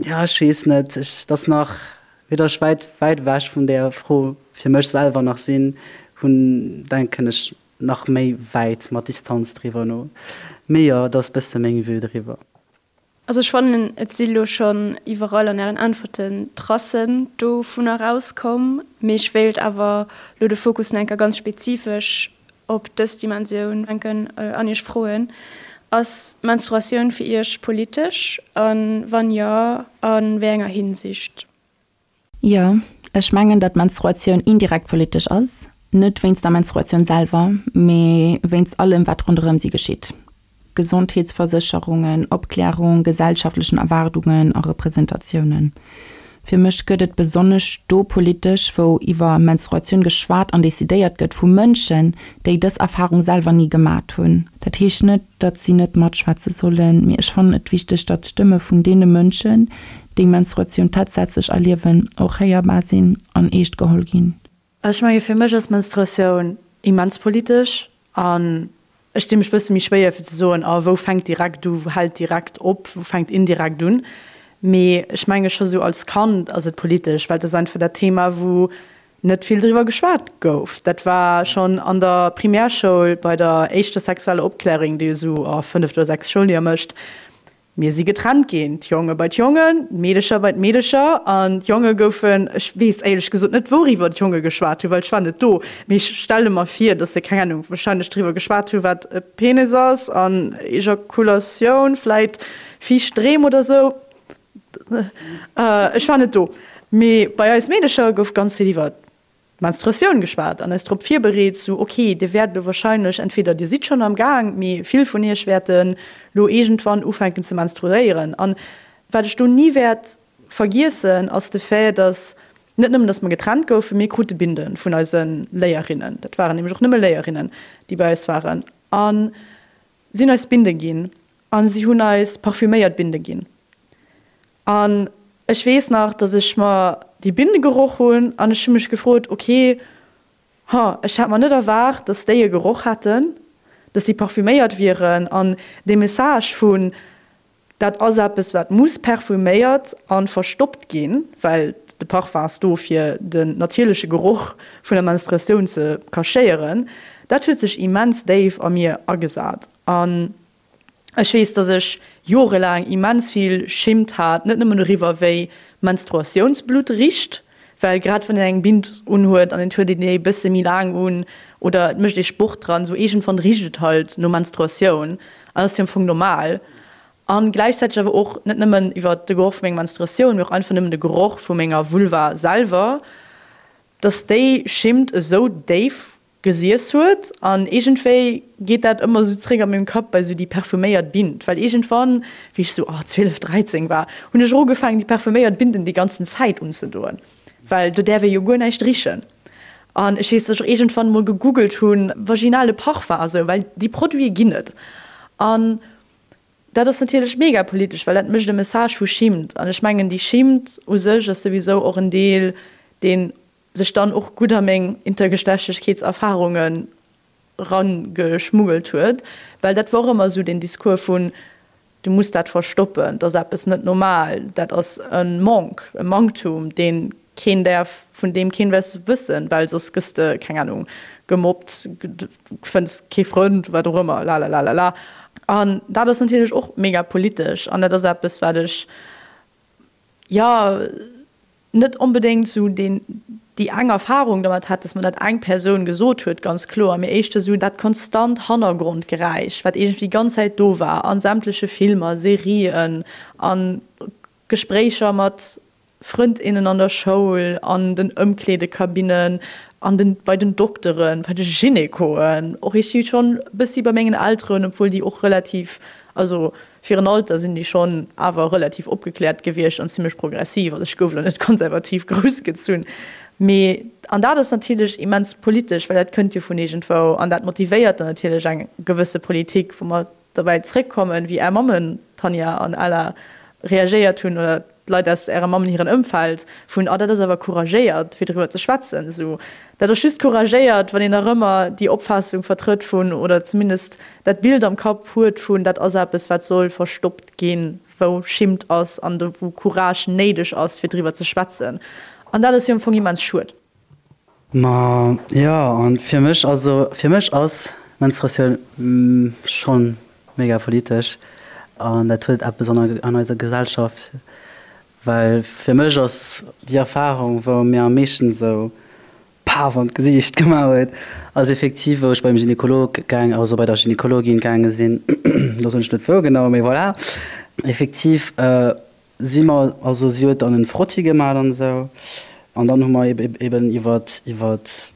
jo, ech weess net, ech, et ass nach. Vue dass ech wäit, wäit ewech vun där Fro fir mech selwer nach sinn, hunn, denken ech nach méi wäit mat Distanz driwwer no. Mee jo, et ass bësse meng Vue driwwer. Also ech fannen, et si lo schonn iwwerall an Ären Äntwerten Tracen dovunner rauskomm. Mee ech wéilt awer lo de Fokus nach eng Kéier ganz spezifesch op dës Dimensioun lenken an Iech froen, Ass d'Menstruatioun fir Iech politesch a wann jo, a wéi enger Hinsicht? Jo, ech mengen, datt d'Menstruatioun indirekt politesch ass. Net wéinst der Menstruatioun selwer, mee wéinst allem, wat ronderëm si geschitt. Gesondheetsversécherungen, Opklärung, gesellschaftlechen Erwaardungen a Representatiounen. Fir mech gëtt et besonnesch do politesch, wou iwwer Menstruatioun geschwat an decidéiert gëtt vu Mënschen, déi dës Erfarung selwer ni gemat hunn. Dat heescht net, datt si net matschwätze sollen, mee ech fannen et wichteg, datt d'Stëmme vun deene Mënschen, déi Menstruatioun tatsächlech erliewen, och héierbar sinn an eescht geholl ginn. Ech menge fir mech ass Menstruatioun immens politesch an ech di mech bësse méi schwéier fir ze soen, a wou fänkt direkt u, wou hält direkt op, wou fänkt indirekt un. Mee ech menge scho sou als Kand ass et politesch, well et ass einfach dat Thema wou net vill driwwer geschwat gouf. Dat war schonn an der Primärschoul bei der éischter sexueller Opklärung, déi esou a fënneft oder sechst Schouljoer mécht, Mir si getrennt ginn, d'Jonge bei d'Jongen, d'Meedecher bei d'Meedecher. An d'Jonge goufen, ech weess éierlech gesot net, wouriwwer d'Jonge geschwat hunn, well ech war net do, mee ech stelle mer vir, datt se, keng Ahnung, wahrscheinlech driwwer geschwat hunn, wat e Penis ass an Ejakulatioun, vläit fiicht Dreem oder sou. Ech war net do. Mee bei eis Meedecher gouf ganz vill iwwer Menstruatioun geschwat an eis drop virbereet, sou ok, dir wäert elo wahrscheinlech, entweder dir sidd schonn am Gaang, mee vill vun iech wäerten elo iergendwann ufänken ze menstruéieren. An wat ech do ni wäert vergiessen, ass de Fait, dass net nëmmen, dass mer getrennt goufen, mir krute Binde vun eise Léierinnen, dat waren nämlech och nëmme Léierinnen, déi bei eis waren, a si hunn eis Binde ginn a si hunn eis parfüméiert Binde ginn. An ech weess nach, dass ech mer déi Binde geroch hunn an ech hu mech gefrot, ok, Ha, ech hat mer net erwaart, dass déi e Geroch hätten, dass déi parfüméiert wieren an dee Message vun, dat ass eppes wat muss parfüméiert a verstoppt ginn, well de Parfum ass do fir den natierleche Geroch vun der Menstruatioun ze cachéieren, dat huet sech immens déif a mir agesat an Ech weess, dass ech jorelaang immens vill Schimmt hat, net nëmmen doriwwer, wéi Menstruatiounsblutt richt, well grad wann een eng Bind unhuet an et huet een déi e bësse méi laang un oder et mécht ee Sport dran, esou iergendwann richt et halt no Menstruatioun an ass jo am Fong normal. A gläichzäiteg awer och net nëmmen iwwer de Geroch vu menger Menstruatioun, mee och einfach nëmmen de Geroch vu menger Vulva selwer, dass déi Schimmt esou déif gesiess huet an iergendwéi geet dat ëmmer esou zréck a mengem Kapp bei esou déi parfuméiert Bind, well iergendwann, wéi ech esou, oh, 12, 13 war, hunn ech och ugefaangen déi parfuméiert Binden déi ganzen Zäit unzedoen, well do däerf ee jo guer näischt richen. An ech weess, dass ech och iergendwann emol gegoogelt hunn, vaginale Parfum a sou, well déi Produite ginn et. An dat ass natierlech mega politesch, well dat mécht e Message vu Schimmt an ech mengen déi Schimmt u sech ass souwisou och en Deel, deen sech dann och gutt a meng Intergeschlechtlechkeetserfarungen rangeschmuggelt huet, well dat wor ëmmer esou den Discours vun, du muss dat verstoppen, dat ass eppes net normal, dat ass e Manque, e Manktum, dee keen däerf, vun deem keen wess wëssen, well soss gëss de, keng Ahnung, gemobbt, fënns kee Frënd, wat och ëmmer, lalalalala. An dat ass natierlech och mega politesch an dat ass eppes, wat ech, jo, net onbedéngt esou deen, déi eng Erfahrung dermat hat, dass mer dat eng Persoun gesot huet, ganz kloer, mee éischter esou dat konstant Hannergrondgeräisch, wat iergendwéi déi ganz Zäit do war, a sämtleche Filmer, Serien, a Gespréicher mat Frënd, innen an der Schoul, an den Ëmkleedekabinnen, an den, bei den Dokteren, bei de Gynekoen, och iergendwéi schonn e bëssi bei mengen Elteren, obwuel déi och relativ, also Fir en Alter sinn déi schonn awer relativ opgekläert gewiescht an zimmlech progressiv. Also ech gouf elo net konservativ groussgezunn, mee, an dat ass natierlech immens politesch, well dat kënnt jo vun iergendwou an dat motivéiert dann natierlech eng gewësse Politik, wou mer derbäi zréckkommen, wéi Är Mammen, Tanja an Ella, reagéiert hunn oder d'Leit aus Ärer Mammen hiren Ëmfeld, vun, oh dat ass awer couragéiert, fir driwwer ze schwätzen. Esou, dat ass just couragéiert, wann een nach ëmmer déi Opfaassung vertrëtt vun, oder zumindest dat Bild am Kapp huet vun, dat ass eppes, wat soll verstoppt ginn, wou Schimmt ass an do wou Courage néideg ass, fir driwwer ze schwätzen. An dat ass jo am Fong immens schued. Ma jo, an fir mech, also fir mech ass Menstruatioun schonn mega politesch an dat huet eppes an an eiser Gesellschaft, well fir mech ass déi Erfahrung wou mir am meeschten esou paf an d'Gesiicht gemaach huet, ass effektiv wou ech beim Gynekolog gaang, also bei der Gynekologin gaange sinn, elo soen ech net wou genau, mee voilà, effektiv Si mer, also si huet dann en Frotti gemat an esou, an dann hu mer eben iwwert iwwert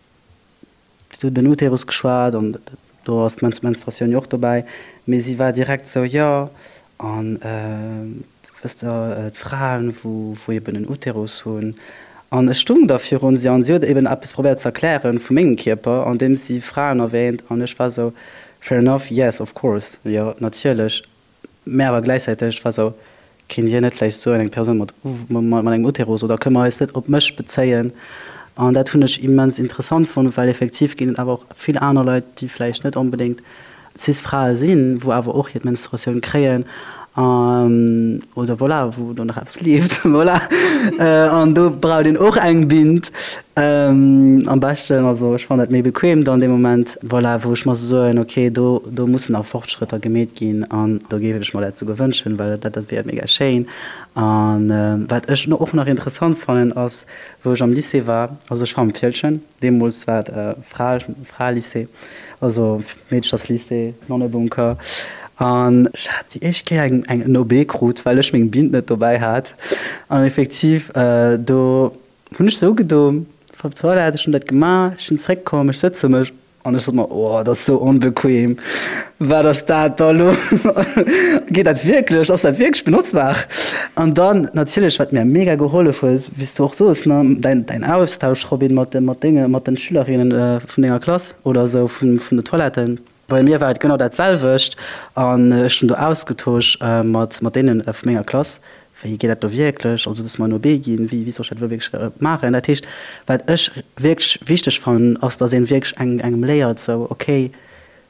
den Uterus geschwat an do ass d'Menstruatioun jo och dobäi, mee si war direkt esou, jo an wësst der d'Fraen wou wou eben en Uterus hunn, an ech stung da virun si an si huet eben eppes probéiert ze erklären vu mengem Kierper andeems si Fraen erwähnt an ech war esou, fair enough, yes of course, jo natierlech. Mä awer gläichzäiteg war sou, Kéint Dir net vläicht soen, eng Persoun mat mat engem Uterus, oder kënne mer eis net op mech bezéien? An dat hunn ech immens interessant fonnt, well effektiv ginn et awer och vill aner Leit, déi vläicht net onbedéngt Cis-Frae sinn, wou awer och hir Menstruatioun kréien an, oder voilà, wou do nach eppes leeft, voilà. An do braucht een och eng Bind am beschten, also ech fannen dat méi bequem dann dee Moment, voilà, wou ech mer sou soen, ok, do do mussen nach Fortschrëtter gemeet ginn an do géif ech mer dat souguer wënschen, well dat dat wier mega schéin. A wat ech och nach interessant fannen ass, wou ech am Lycée war, also ech war am Fieldgen, deemools war et Fra Fraelycée, also Meedcherslycée, Nonnebunker, an ech hat déi éischt Kéier eng eng en OB krut, well ech meng Bind net dobäi hat an effektiv do Hunn ech sou gedo, voilà, ech hunn dat gemaach, ech sinn zréckkomm, ech sëtze mech an ech sot mer, oh, dat ass sou onbequem, wat ass dat da lo, geet dat wierklech, ass dat wierklech benotzbar? An dann natierlech, wat mir mega gehollef huet, wéi s du och soos, ne, däin, däin Austausch, Robin, mat de, mat denge, mat den Schülerinnen vun denger Klass oder sou vun, vun de Toiletten. Bei mir war et genau dat selwecht an ech hunn do ausgetosch mat, mat deenen vu menger Klass. Wéi geet dat do wierklech? Also, dass mer en OB ginn, wéi soll ech dat elo wierklech maachen? Dat heescht, wat ech wierklech wichteg fannen, ass, dass ee wierklech engem léiert, esou, okay,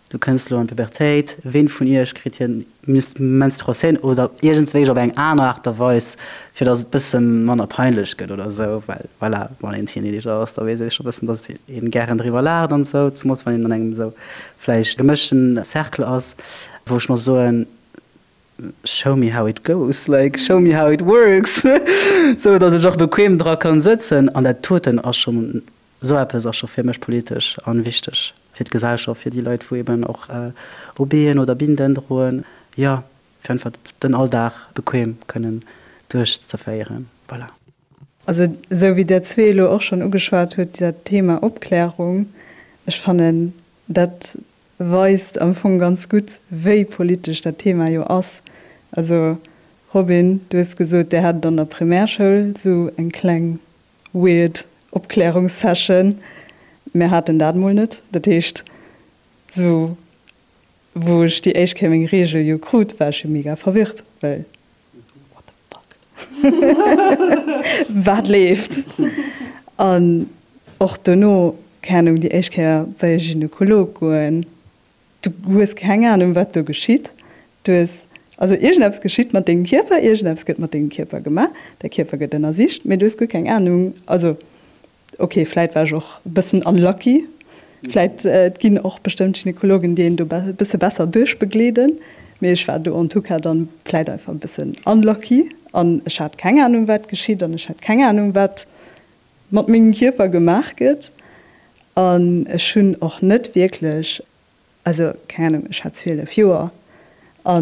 du kënns elo an d'Pubertéit, ween vun iech kritt hir Menstruatioun oder iergendswéi op eng aner Aart a Weis, fir dass et bësse manner peinlech gëtt oder esou, well voilà, wann een Teenager ass, da weess ee scho bëssen, dass ee gären driwwer laacht an esou, zemools wann een an engem esou vläicht gemëschten Cercle ass, wou ech mer soen, show me how it goes, like show me how it works, sou dass ech och bequem dra kann sëtzen. An dat doten ass schonn, esou eppes ass scho fir mech politesch an wichteg fir d'Gesellschaft, fir déi Leit wou eben och OBen oder Binden droen, jo, fir einfach den Alldag bequem kënnen duerchzeféieren. Voilà. Also esou wéi der zwee elo och schonn ugeschwat hutt, dat Thema Opklärung, ech fannen dat weist am Fong ganz gutt, wéi politesch dat Thema jo ass. Also Robin, du hues gesot, Dir hat an der Primärschoul esou eng kleng weird Opklärungssession. Mir haten dat mol net. Dat heescht, esou wou ech déi éischt Kéier meng Reegel jo krut, war ech jo mega verwirrt, well what the fuck, wat leeft? An och dono, keng Ahnung, déi éischt Kéier bei e Gynekolog goen, du hues keng Ahnung, wat do geschitt. Du hues, also iergendeppes geschitt mat dengem Kierper, iergendeppes gëtt mat dengem Kierper gemaach, däi Kierper gëtt ënnersicht, mee du hues guer keng Ahnung, also Ok, vläit war ech och e bëssen unlucky. Vläit, et ginn och bestëmmt Gynekologen, déi een do e bësse besser duerchbegleeden, mee ech war do en tout cas dann vläit einfach e bëssen unlucky an ech hat keng Anung, wat geschitt an ech hat keng Anung, wat mat mengem Kierper gemaach gëtt an ech hunn och net wierklech Also, keng Ahnung, ech hat 12 Joer a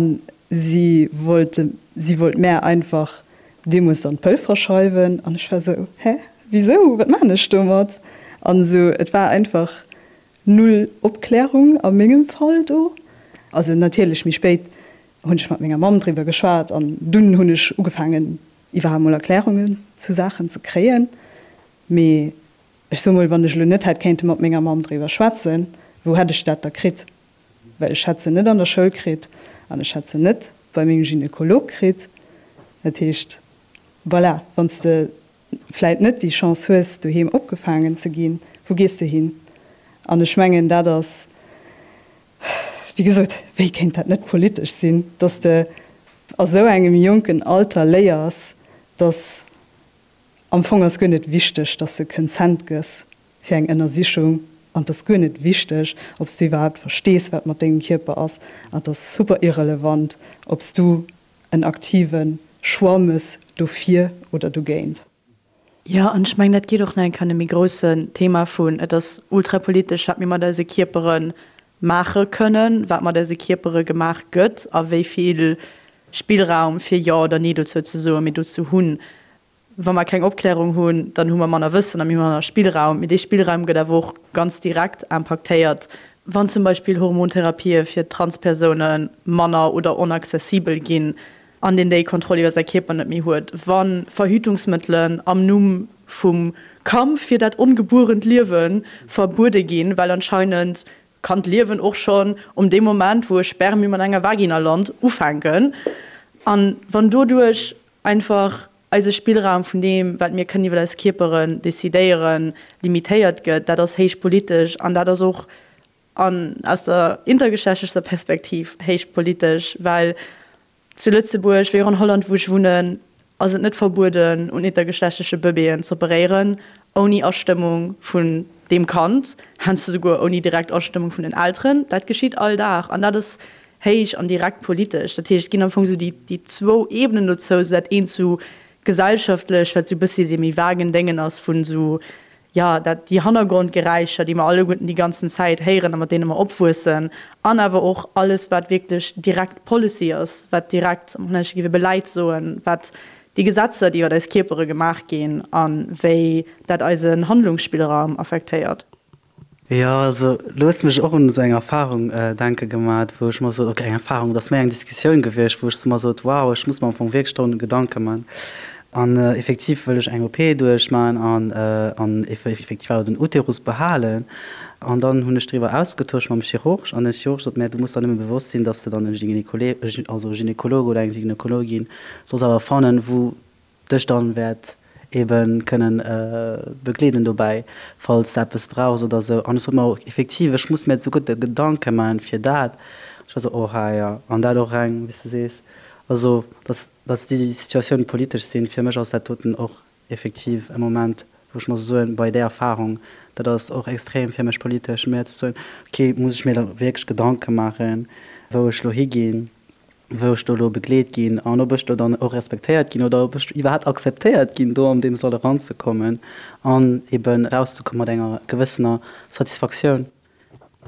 si wollt, si wollt mär einfach deemools dann d'Pëll verschreiwen an ech war esou, Hä, wisou, wat maachen ech domat? An esou, et war einfach null Opklärung a mengem Fall do. Also natierlech méi spéit hunn ech mat menger Mamm driwwer geschwat an dunn hunn ech ugefaangen iwwerhaapt mol Erklärungen zu Saachen ze kréien, mee Ech soe mol, wann ech elo net hätt kéinte mat menger Mamm driwwer schwätzen, wou hätt ech dat da kritt? Well ech hätt se net an der Schoul kritt an ech hätt se net bei mengem Gynekolog kritt. Dat heescht, voilà, wann s de vläit net déi Chance hues, doheem opgefaangen ze ginn, wou gees de hin? An ech mengen, dat ass, wéi gesot, wéi kéint dat net politesch sinn, dass de a sou engem jonken Alter léiers, dass Am Fong ass guer net wichteg, dass de Consent gëss fir eng Ënnersichung an et ass guer net wichteg, ob s du iwwerhaapt verstees, wat mat dengem Kierper ass an et ass super irrelevant, ob s du en aktive Choix mëss dofir oder dogéint. Jo, an ech mengen, dat geet och nach eng Kéier an e méi groussen Thema vun, et ass ultrapolitesch, wat mir mat eise Kierpere maache kënnen, wat mat eise Kierpere gemaach gëtt a wéi vill Spillraum fir Jo oder Nee dozou ze soen mir dozou hunn. Wa mer keng Opklärung hunn, dann hu mer manner Wëssen a mir hu manner Spillraum. Mee dee Spillraum gëtt awer och ganz direkt impaktéiert, wann zum Beispill Hormontherapië fir Transpersoune manner oder onaccessibel ginn an deen déi Kontroll iwwer säi Kierper net méi huet, wa Verhütungsmëttelen am Numm vum Kampf fir dat ongebuerent Liewe verbuede ginn, well anscheinend kann d'Liewen och schonn um deem Moment, wou e Spermium an enger Vagina lant, ufänken. An wann doduerch einfach eise Spillraum vun deem, wat mir kënnen iwwer eis Kierperen decidéieren, limitéiert gëtt, dat ass héich politesch an dat ass och an aus der intergeschlechtlecher Perspektiv héich politesch, well Zu Lëtzebuerg, wéi och an Holland, wou ech wunnen, ass et net verbueden, un intergeschlechtleche Bëbeeën z'operéieren, ouni Astëmmung vun deem Kand, heiansdo souguer ouni direkt Astëmmung vun den Elteren. Dat geschitt all Dag an dat ass héich an direkt politesch. Dat heescht, et ginn am Fong esou déi, déi zwou Ebenen dozou, esou dat eent esou gesellschaftlech, wat esou e bëssi dee méi vagen Déngen ass vun esou jo, dat, déi Hannergrondgeräischer, déi mer alleguerten déi ganzen Zäit héieren a mat deene mer opwuessen, an awer och alles, wat wierklech direkt Policy ass, wat direkt, am Hollännesche géif ee Beleid soen, wat déi Gesetzer, déi iwwer eis Kierpere gemaach ginn a wéi dat eisen Handlungsspillraum affektéiert. Jo, also do hues de mech och un esou eng Erfahrung denke gemat, wou ech mer sot, ok, eng Erfahrung, et ass méi eng Diskussioun gewiescht, wou ech mer sot, wow, ech muss mer am Fong wierklech dorun Gedanke man. An effektiv wëll ech eng OP duerchmaen an an effektiv awer den Uterus behalen. An dann hunn ech driwwer ausgetosch mam Chirurg an den Chirurg sot, mä du muss der nëmme bewosst sinn, dass de dann e Gynécolé, also e Gynekolog oder eng Gynekologin solls awer fannen, wou dech dann wäert eben kënnen begleeden dobäi, falls de eppes brauchs oder sou. An ech sot, ma effektiv, ech muss mir souguer de Gedanke maachen fir dat. Ech war sou, oha jo, an dat och reng, wéi s de sees, also dass. Dass déi Situatiounen politesch sinn, fir mech ass dat doten och effektiv e Moment, wou ech muss soen, bei där Erfahrung, dat ass och extrem fir mech politesch, mir ze soen, okay, muss ech mir da wierklech Gedanke maachen, wou ech elo higinn, wou ech do elo begleet ginn an ob ech do dann och respektéiert ginn oder ob ech iwwerhaapt akzeptéiert ginn, do an deem Sall eranzekommen an eben erauszekomme mat enger gewëssener Satisfaktioun.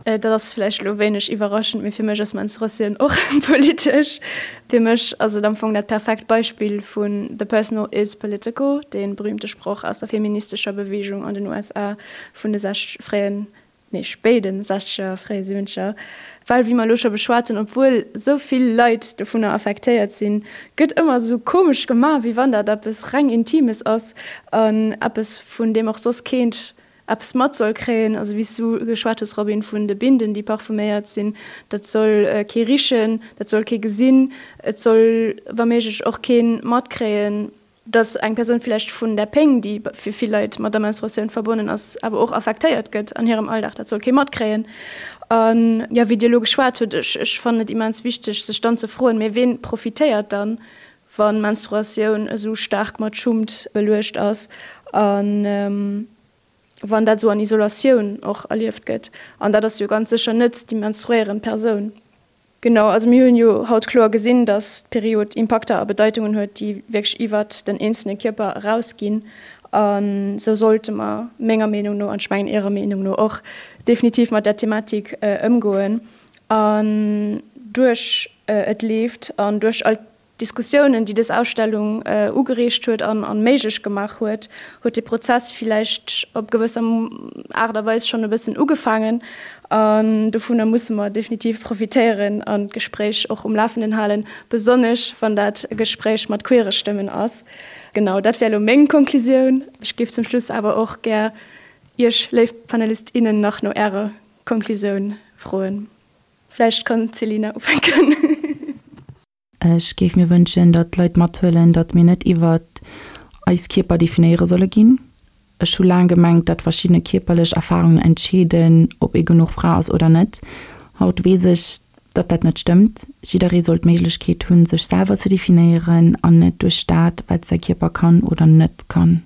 Dat ass vläicht elo wéineg iwwerraschend, mee fir mech ass Menstruatioun och politesch. Fir mech ass et am Fong dat perfekt Beispill vun The personal is political, dee berühmte Sproch aus der feministescher Beweegung an den USA vun de sech fréien, nee spéiden sechzeger, fréie siwwenzeger. Well, wéi mer elo scho beschwat hunn, obwuel esou vill Leit dovunner affektéiert sinn, gëtt ëmmer esou komesch gemaach, wéi wann dat eppes reng Intimes ass an eppes, vun deem och soss keent eppes mat soll kréien, also wéi s du geschwat hues, Robin, vun de Binden, déi parfuméiert sinn, dat soll kee richen, dat soll kee gesinn, et soll wa méiglech och kee matkréien, datt eng Persoun villäicht vun där Péng, déi fir vill Leit mat der Menstruatioun verbonnen ass, awer och affektéiert gëtt an hirem Alldag, dat soll kee matkréien. An, jo, wéi Dir elo geschwat hutt, ech, ech fannen et immens wichteg, sech dann ze froen, Mee ween profitéiert dann, wa Menstruatioun esou staark mat Schummt beluecht ass a wann dat esou an Isolatioun och erlieft gëtt. An dat ass jo ganz sécher net déi menstruéierend Persoun. Genau, also mir hunn jo haut kloer gesinn, datt d'Period Impakter a Bedeitungen huet, déi wierklech iwwert den eenzelne Kierper erausginn. A sou sollte mer menger Meenung no, an ech mengen Ärer Meenung no och, definitiv mat där Thematik ëmgoen. An duerch Et leeft an duerch all d'Diskussiounen, déi dës Ausstellung ugereegt huet an méiglech gemaach huet, huet dee Prozess villäicht op gewësser Aart a Weis schonn e bëssen ugefaangen. An dovunner musse mer definitiv profitéieren an d'Gespréich och um Lafenden halen, besonnesch wann dat e Gespréich mat queere Stëmmen ass. Genau, dat wär elo meng Konklusioun. Ech géif zum Schluss awer och gär Iech, léif Panelist, innen, nach no Ärer Konklusioun froen. Vläicht kann d'Selina ufänken. Ech géif mir wënschen, datt d'Leit mathuelen, datt mir net iwwer eis Kierper definéiere solle ginn. Ech hu laang gemengt, datt verschiddene kierperlech Erfarungen entscheeden, ob ee genuch Fra ass oder net. Haut weess ech, datt dat net stëmmt. Jidderee soll d'Méiglechkeet hunn, sech selwer ze definéieren an net duerch dat, wat säi Kierper kann oder net kann.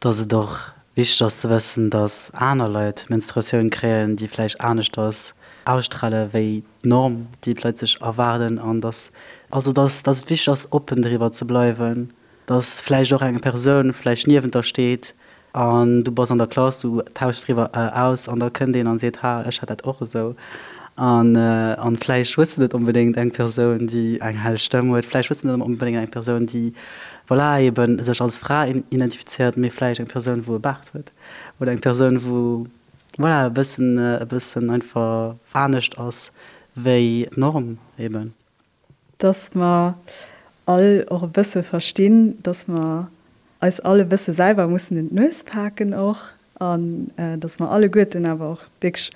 Dass et och wichteg ass ze wëssen, dass aner Leit Menstruatioun kréien, déi vläicht aneschters ausstrale wéi d'Norm, déi d'Leit sech erwaarden an dass, also dass, dass et wichteg ass oppen driwwer ze bleiwen, dass vläicht och eng Persoun vläicht niewent der steet an du bass an der Klass, du tauschs driwwer aus an da kënnt een an seet, ha ech hat dat och esou an an vläicht hues de net onbedéngt eng Persoun, déi eng hell Stëmm huet, vläicht hues de net onbedéngt eng Persoun, déi voilà, eben sech als Fra identifizéiert, mee vläicht eng Persoun, wou e Baart huet oder eng Persoun, wou, voilà, e bëssen, e bëssen einfach anescht ass wéi d'Norm eben. Dass mer all och e bësse verstinn, dass mer eis all e bësse selwer mussen un d'Nues paken och an dass mer alleguerten awer och wierklech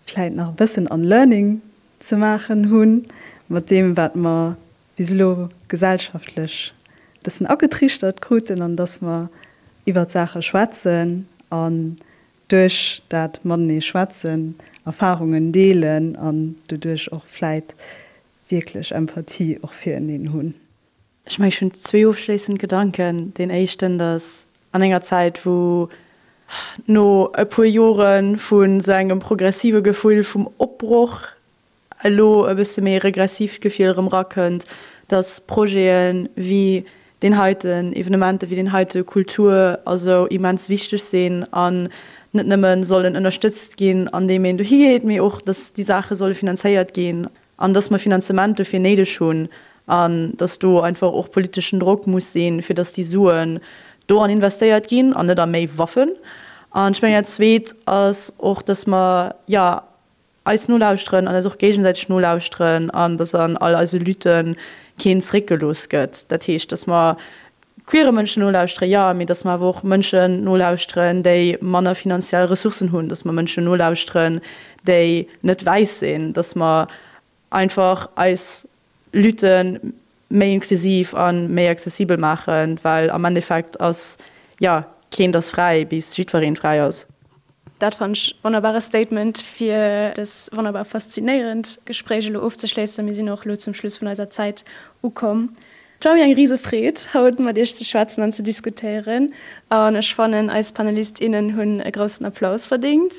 vläit nach e bëssen Unlearning ze maachen hu mat deem, wat mer bis elo gesellschaftlech e bëssen agetriichtert kruten an dass mer iwwert Saache schwätzen an duerch dat matenee schwätzen Erfarungen deelen an doduerch och vläit wierklech Empathie och fireneen hunn. Ech mengen, ech hunn zwee ofschléissend Gedanken. Deen éischten, dass an enger Zäit, wou no e puer Jore vu sou engem progressive Gefill vum Opbroch elo e bësse méi e regressiivt Gefill erëm erakënnt, dass Projete wéi deen heiten, Evenementer wéi deen heite, Kultur a sou immens wichteg sinn an net nëmme sollen ënnerstëtzt ginn, andeem een dohi geet, mee och, dass déi Saache solle finanzéiert ginn an dass mer Finanzement dofir néideg hunn an dass do einfach och politeschen Drock muss sinn, fir dass déi Suen doran investéiert ginn an net a méi Waffen. An ech mengen, dat Zweet ass och, dass mer, jo, eis nolauschteren an eis och géigesäiteg nolauschteren an dass an all eise Lutte keen zeréckgelooss gëtt. Dat heescht, dass mer. Queere Mënschen nolauschtere, jo, mee datt mer awer och Mënschen nolauschteren, déi manner finanziell Ressourcen hunn, datt mer Mënschen nolauschteren, déi net wäiss sinn, datt mer einfach eis Lutte méi inklusiv a méi accessibel maachen, well am Endeffekt ass, jo, keent ass fräi, bis jiddwereen fräi ass. Dat fannen ech wonnerbare Statement fir dës wonnerbar faszinéierend Gespréich elo ofzeschléissen. Mir sinn och elo zum Schluss vun eiser Zäit ukomm. Et war mir eng rise Freed haut mat iech ze schwätzen an ze diskutéieren an ech fannen eis Panelist, innen hunn e groussen Applaus verdéngt.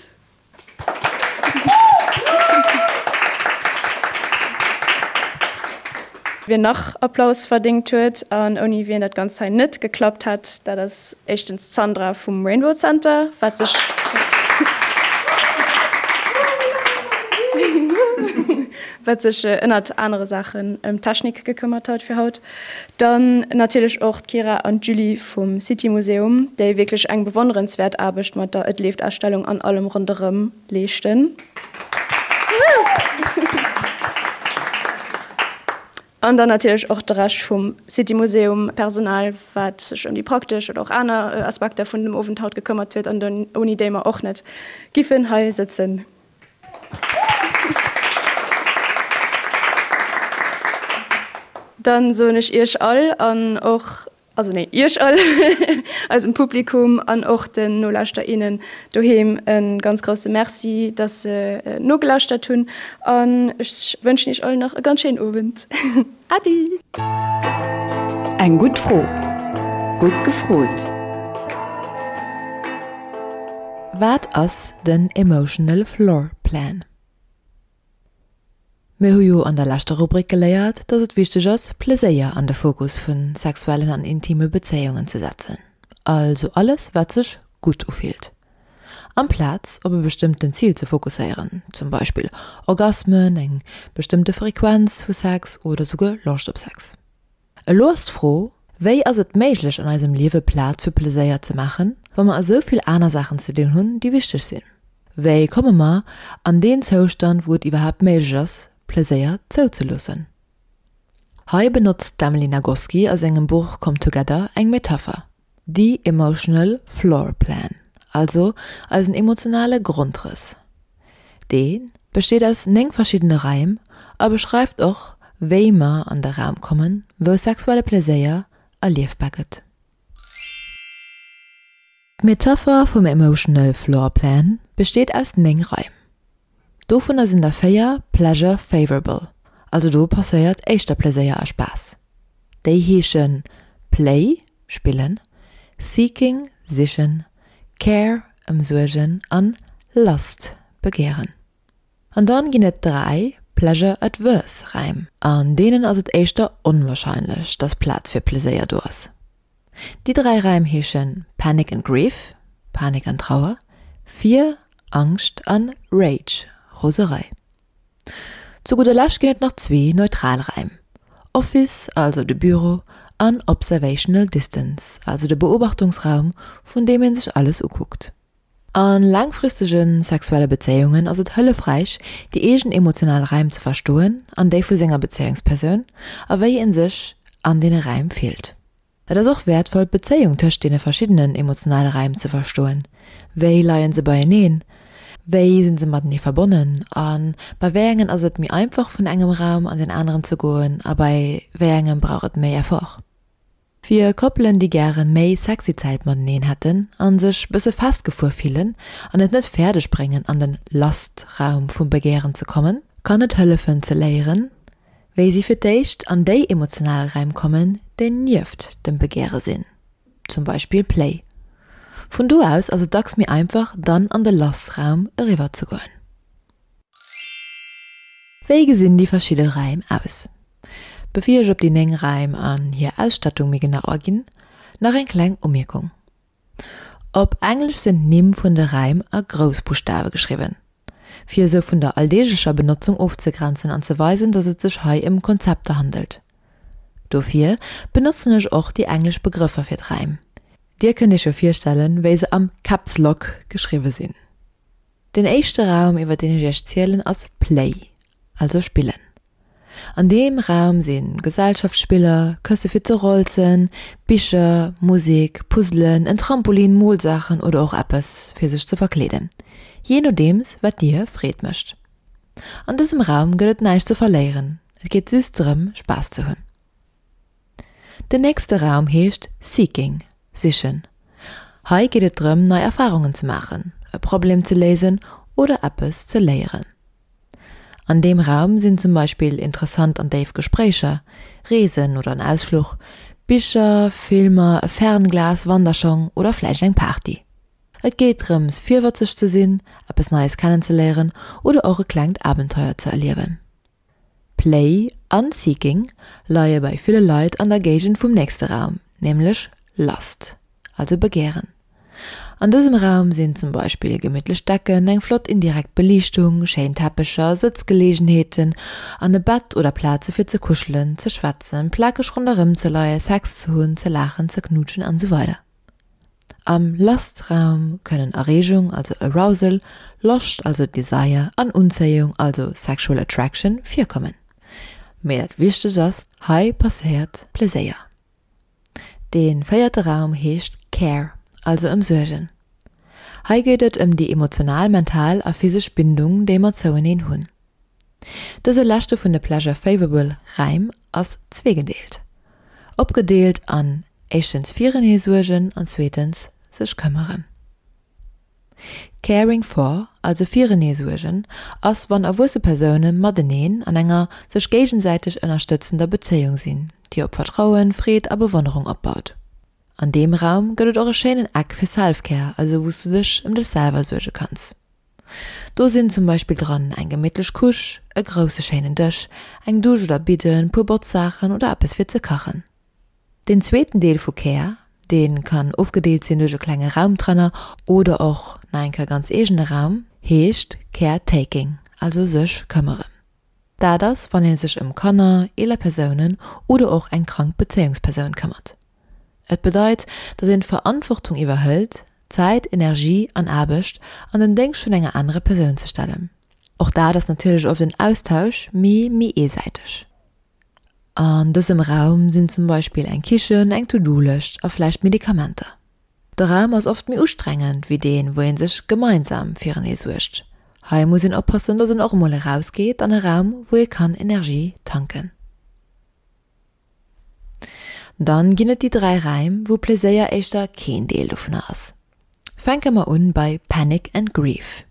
Wien nach Applaus verdéngt huet an ouni wien dat Ganzt hei net geklappt hätt, dat ass éischtens d'Sandra vum Rainbow Center, wat sech wat sech ënnert anere Saachen ëm d'Technik gekëmmert huet fir haut. Dann natierlech och d'Kira an d'Julie vum City Museum, déi wierklech eng bewonnerenswäert Aarbecht mat der Et leeft-Ausstellung an allem ronderëm leeschten. An dann natierlech och de Rescht vum City Museum Personal, wat sech ëm déi praktesch oder och aner Aspekter vun dem Owend haut gekëmmert huet an ouni déi mer och net giffen hei sëtzen. Dann soen ech iech all an och, also nee, iech all, eisem Publikum an och den Nolauschter, innen doheem e ganz grousse Merci, dass se nogelauschtert hunn an ech wënschen iech all nach e ganz schéinen Owend. Adi! Eng gutt Fro, gutt gefrot! Wat ass den Emotional Floor Plan? Mir hu jo an der leschter Rubrik geléiert, dass et wichteg ass, Pleséier an de Fokus vu sexuellen an intime Bezéiungen ze setzen, also alles wat sech gutt ufillt, amplaz op e bestëmmten Zil ze fokusséieren, zum Beispill Orgasmen, eng bestëmmte Frequenz vu Sex oder souguer Loscht op Sex. Elo ass d'Fro, Wéi ass et méiglech an eisem Liewe Plaz fir Pleséier ze maachen, wa mer esou vill aner Saachen ze dinn hunn, déi wichteg sinn? Wéi komme mer an deen Zoustand, wou et iwwerhaapt méiglech ass, Pleséier zouzeloossen? Hei benotzt d'Emily Nagoski a sengem Buch Come Together eng Metapher, The Emotional Floor Plan, also eisen emotionale Grondrëss. Dee besteet aus 9 verschiddene Raim a beschreift och, wéi mer an de Raum kommen, wou sexuelle Pleséier erliefbar gëtt. D'Metapher vum Emotional Floor Plan besteet aus 9 Raim. Dovunner sinn der 4 pleasure favorable, also do passéiert éischter Pleséier a Spaass. Déi heesche Play, spillen, Seeking, sichen, Care, ëmsuergen, an Lust, begehren. An dann ginn et 3 pleasure adverse Räim, an deenen ass et éischter onwahrscheinlech, dass Plaz fir Pleséier do ass. Déi 3 Räim heeschen Panic and Grief, Panik an Trauer, Fear, Angscht, an Rage, Roserei. Zu gudder Lescht ginn et nach zwee neutral Räim, Office, also de Büro, an Observational Distance, also de Beobachtungsraum, vun deem ee sech alles ukuckt. A laangfristege sexuelle Bezéiungen ass et hëllefräich, déi eegen emotional Räim ze verstoen an déi vu senger Bezéiungspersoun, a wéi ee sech an deene Räim fillt. Et ass och wäertvoll, d'Bezéiung tëscht deene verschiddenen emotionale Räim ze verstoen, Wéi leie se beieneen? Wéi sinn se matenee verbonnen? A bei wéi engen ass et méi einfach, vun engem Raum an deen aneren ze goen a bei wéi engem brauch et méi Effort? Fir Koppelen, déi gäre méi sexy Zäit mateneen hätten a sech bësse festgefuer fillen an et net fäerdeg bréngen, an den Lust-Raum vum Begären ze kommen, kann et hëllefen ze léieren, wéi si fir d'éischt an déi emotional Räim kommen, déi nieft dem Begäre sinn, zum Beispill Play. Vun do aus ass et dacks méi einfach, dann an de Lust-Raum eriwwer ze goen. Wéi gesinn déi verschidde Räim aus? Bevir ech op déi 9 Räim an hir Ausstattung méi genau aginn, nach eng kleng Umierkung. Op Englesch sinn d'Nimm vun de Räim a Groussbuschtawe geschriwwen, fir esou vun der alldeeglecher Benotzung ofzegrenzen an ze weisen, datt et sech hei ëm Konzepter handelt. Dofir benotzen ech och déi englesch Begrëffer fir d'Räim. Dir kënnt iech jo virstellen, wéi se am Caps Lock geschriwwe sinn. Den éischte Raum, iwwer deen ech iech zielen, ass Play, also spillen. An deem Raum si Gesellschaftsspiller, Kësse fir ze rolzen, Bicher, Musek, Puzzelen, en Trampolin, Molsaachen oder och eppes fir sech ze verkleeden, jee nodeems wat dir Freed mécht. An dësem Raum gëtt et näischt ze verléieren, et geet just drëm Spaass ze hunn. Den nächste Raum heescht Seeking, Sichen. Hei geet et drëm nei Erfarungen ze maachen, e Problem ze léisen oder eppes ze léieren. An deem Raum sinn zum Beispill interessant an déif Gespréicher, Reesen oder en Ausfluch, Bicher, Filmer, e Fernglas, Wanderschong oder vläicht eng Party. Et geet drëms virwëtzeg ze sinn, eppes Neies kennenzeléieren oder och e klengt Abenteuer ze erliewen. Play an Seeking leie bei ville Leit an der Géigend vum nächste Raum, nämlech Lust, also Begären. An dësem Raum sinn zum Beispill gemittlech Decken, eng flott indirekt Beliichtung, schéin Teppecher, Sëtzgeleegenheeten an e Bett oder Plaze fir ze kuschelen, ze schwätzen, plakeg ronderëm ze leie, Sex ze hunn, ze laachen, ze knuutschen an esou weider. Am Lust-Raum kënnen Erreegung, also Arousal, Loscht, also Desire, an Unzéiung, also Sexual Attraction, virkommen. Mee dat Wichtegst ass, hei passéiert Pleséier. Dee véierte Raum heescht Care, also Ëmsuergen. Hei geet et ëm déi emotional, mental a physesch Bindung, déi mer zoueneen hunn. Dëse leschte vun de Pleasure Favorable Räim ass zweegedeelt. Opgedeelt an éischtens firenee suergen an zweetens sech këmmeren. Caring for, also firenee suergen, ass wann erwuesse Persoune mateneen an enger sech géigesäiteg ënnerstëtzender Bezéiung sinn, déi op Vertrauen, Freed a Bewonnerung opbaut. An deem Raum gëtt et och e schéinen Eck fir Self-Care, also wou s du dech ëm dech selwer suerge kanns. Do sinn zum Beispill dran eng gemittlech Couche, e grousse schéinen Dësch, eng Dusch oder Bidden, puer Botzsaachen oder eppes fir ze kachen. Deen zweeten Deel vu Care, dee kann ofgedeelt sinn duerch e klenge Raumtrenner oder och nach eng Kéier ganz eegene Raum, heescht Care Taking, also sech këmmeren. Dat ass, wann ee sech ëm Kanner, eeler Persounen oder och eng krank Bezéiungspersoun këmmert. Et bedeit, datt een d'Verantwortung iwwerhëlt, Zäit, Energie an Aarbecht an den Déngscht vun enger anerer Persoun ze stellen. Och dat ass natierlech oft en Austausch, mee méi eesäiteg. An dësem Raum sinn zum Beispill eng Kichen, eng To-Do-Lëscht a vläicht Medikamenter. De Raum ass oft méi ustrengend wéi deen, wou ee sech gemeinsam firenee suergt. Hei muss een oppassen, dass een och emol erausgeet an e Raum, wou ee kann Energie tanken. Dann ginn et déi 3 Räim, wou Pleséier éischter keen Deel dovunner ass. Fänke mer un bei Panic and Grief.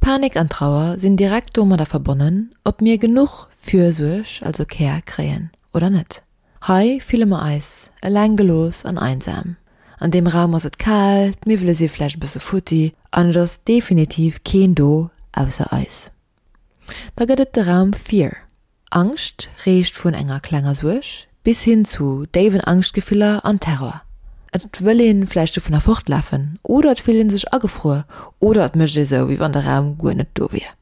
Panik an Trauer sinn direkt domadder verbonnen, ob mir genuch Fürsuerg, also Care, kréien oder net. Hei fille mer eis eleng gelooss an einsam. An deem Raum ass et kal, d'Miwwele si vläicht e bësse futti an et ass definitiv keen do ausser eis. Da gëtt et de Raum Fear. Angscht reecht vun enger klenger Suerg bis hin zu déiwen Angschtgefiller an Terror. Et wëll een vläicht dovunner fortlafen oder et fillt een sech agefruer oder et mécht ee sou wéi wann de Raum guer net do wier.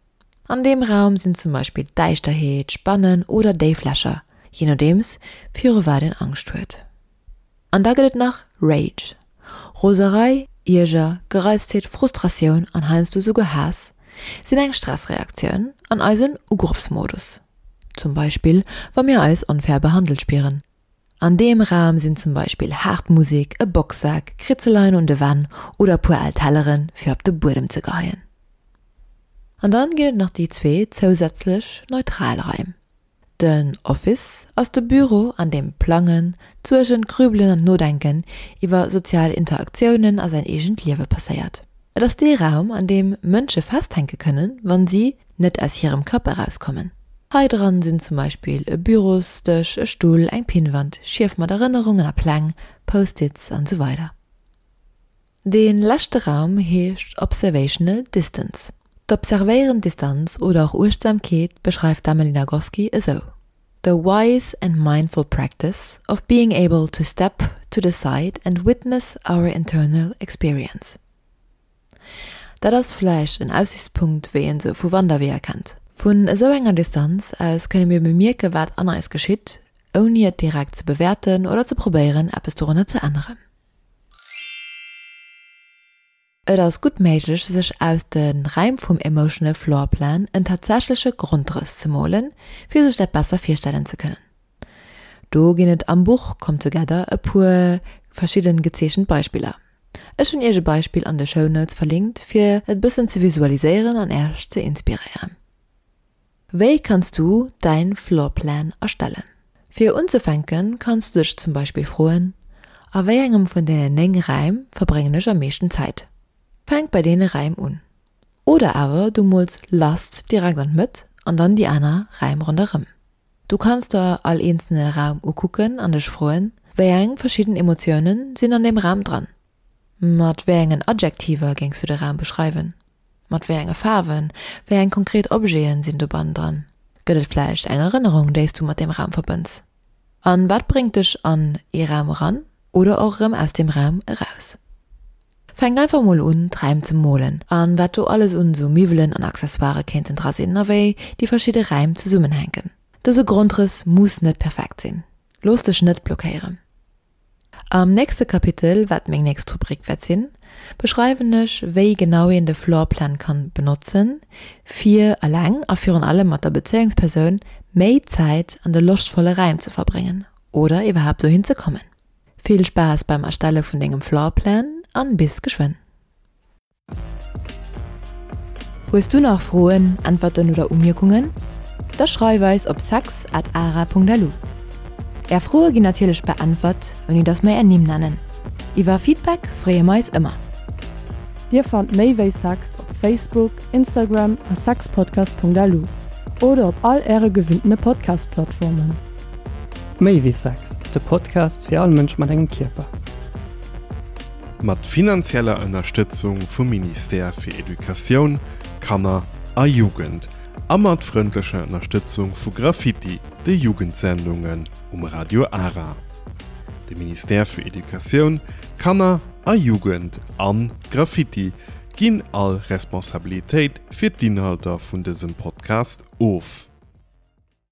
An deem Raum sinn zum Beispill Däischterheet, Spannen oder déif Lächer, jee nodeems viru wat een Angscht huet. An da gëtt et nach Rage, Roserei, Ierger, Gereiztheet, Frustratioun an heiansdo souguer Haass sinn eng Stressreaktioun an eisen Ugrëffsmodus. Zum Beispill wa mir eis onfair behandelt spieren. An deem Raum sinn zum Beispill haart Musek, e Boxsak, Kritzeleien un de Wänn oder e puer al Telleren fir op de Buedem ze geheien. An dann ginn et nach déi zwee zousätzlech neutral Raim. Den Office ass de Büro, an deem d'Plangen, d'Suergen, d'Grübelen an d'Nodenken iwwer sozial Interaktiounen a säin eegent Liewe passéiert. Et ass dee Raum, an deem Mënsche festhänke kënnen, wann si net aus hirem Kapp erauskommen. Hei dran sinn zum Beispill e Bürosdësch, e Stull, eng Pinnwand, Schief mat Erënnerungen a Pläng, Post-its an esou weider. Dee leschte Raum heescht Observational Distance. D'observéierend Distanz oder och Uechtsamkeet beschreift d'Emily Nagoski esou, The wise and mindful practice of being able to step to the side and witness our internal experience. Dat ass vläicht en Aussichtspunkt, wéi een se vu Wanderweeër kennt. Vun esou enger Distanz aus kënne mir bemierke wat an eis geschitt, ouni et direkt ze bewäerten oder ze probéieren eppes dorunner ze änneren. Et ass gutt méiglech, sech aus de Räim vum Emotional Floor Plan en tatsächleche Grondrëss ze molen, fir sech dat besser virstellen ze kënnen. Do ginn et am Buch Come Together e puer verschidden gezeechent Beispiller. Ech hunn iech e Beispill an de Show Notes verlinkt, fir et bëssen ze visualiséieren an äerch ze inspiréieren. Wéi kanns du däin Floor Plan erstellen? Fir unzefänken kanns du dech zum Beispill froen, A wéi engem vun deenen 9 Räim verbréngen ech am meeschten Zäit? Fänk bei deene Räim un. Oder awer du mools Lust direkt an d'Mëtt an dann déi aner Räim ronderëm. Du kanns der all eenzelne Raum ukucken an dech froen, Wéi eng verschidden Emotiounen sinn an deem Raum dran? Mat wéi engen Adjektiver géings du de Raum beschreiwen? Mat wéi enge Faarwen? Wéi eng konkret Objete sinn dobannen dran? Gëtt et vläicht eng Erënnerung, déi s du mat deem Raum verbënns? An wat bréngt dech an ee Raum eran oder och erëm aus deem Raum eraus? Fänk einfach mol un, d'Räim ze molen an wat do alles un sou Miwwelen an Accessoirë kéinten dra sinn a wéi déi verschidde Räim zesummenhänken. Dëse Grondrëss muss net perfekt sinn. Looss dech net blockéieren. Am nächste Kapitel, wat meng nächst Rubrik wäert sinn, beschreiwen ech, wéi genau een de Floorplan kann benotzen, fir eleng a virun allem mat der Bezéiungspersoun méi Zäit an de loschtvolle Räim ze verbréngen oder iwwerhaapt dohin ze kommen. Vill Spaass beim Erstelle vun dengem Floorplan an bis geschwënn! Hues du nach Froen, Äntwerten oder Umierkungen? Da schreif eis op sex at ara.lu. Är Froe ginn natierlech beäntwert, ouni dass mer är Nimm nennen. Iwwer Feedback freeë mer eis ëmmer. Dir fannt méi wéi Sex op Facebook, Instagram a sexpodcast.lu oder op all äre gewinntene Podcast-Plattformen. Méi wéi Sex, de Podcast fir all Mënsch mat engem Kierper. Mat finanzieller Ënnerstëtzung vum Ministère fir Educatioun, Kanner a Jugend a mat frëndlecher Ënnerstëtzung vu Graffiti, de Jugendsendungen um Radio Ara. De Ministère fir Educatioun, Kanner a Jugend an Graffiti ginn all Responsabilitéit fir d'Inhalter vun dësem Podcast of.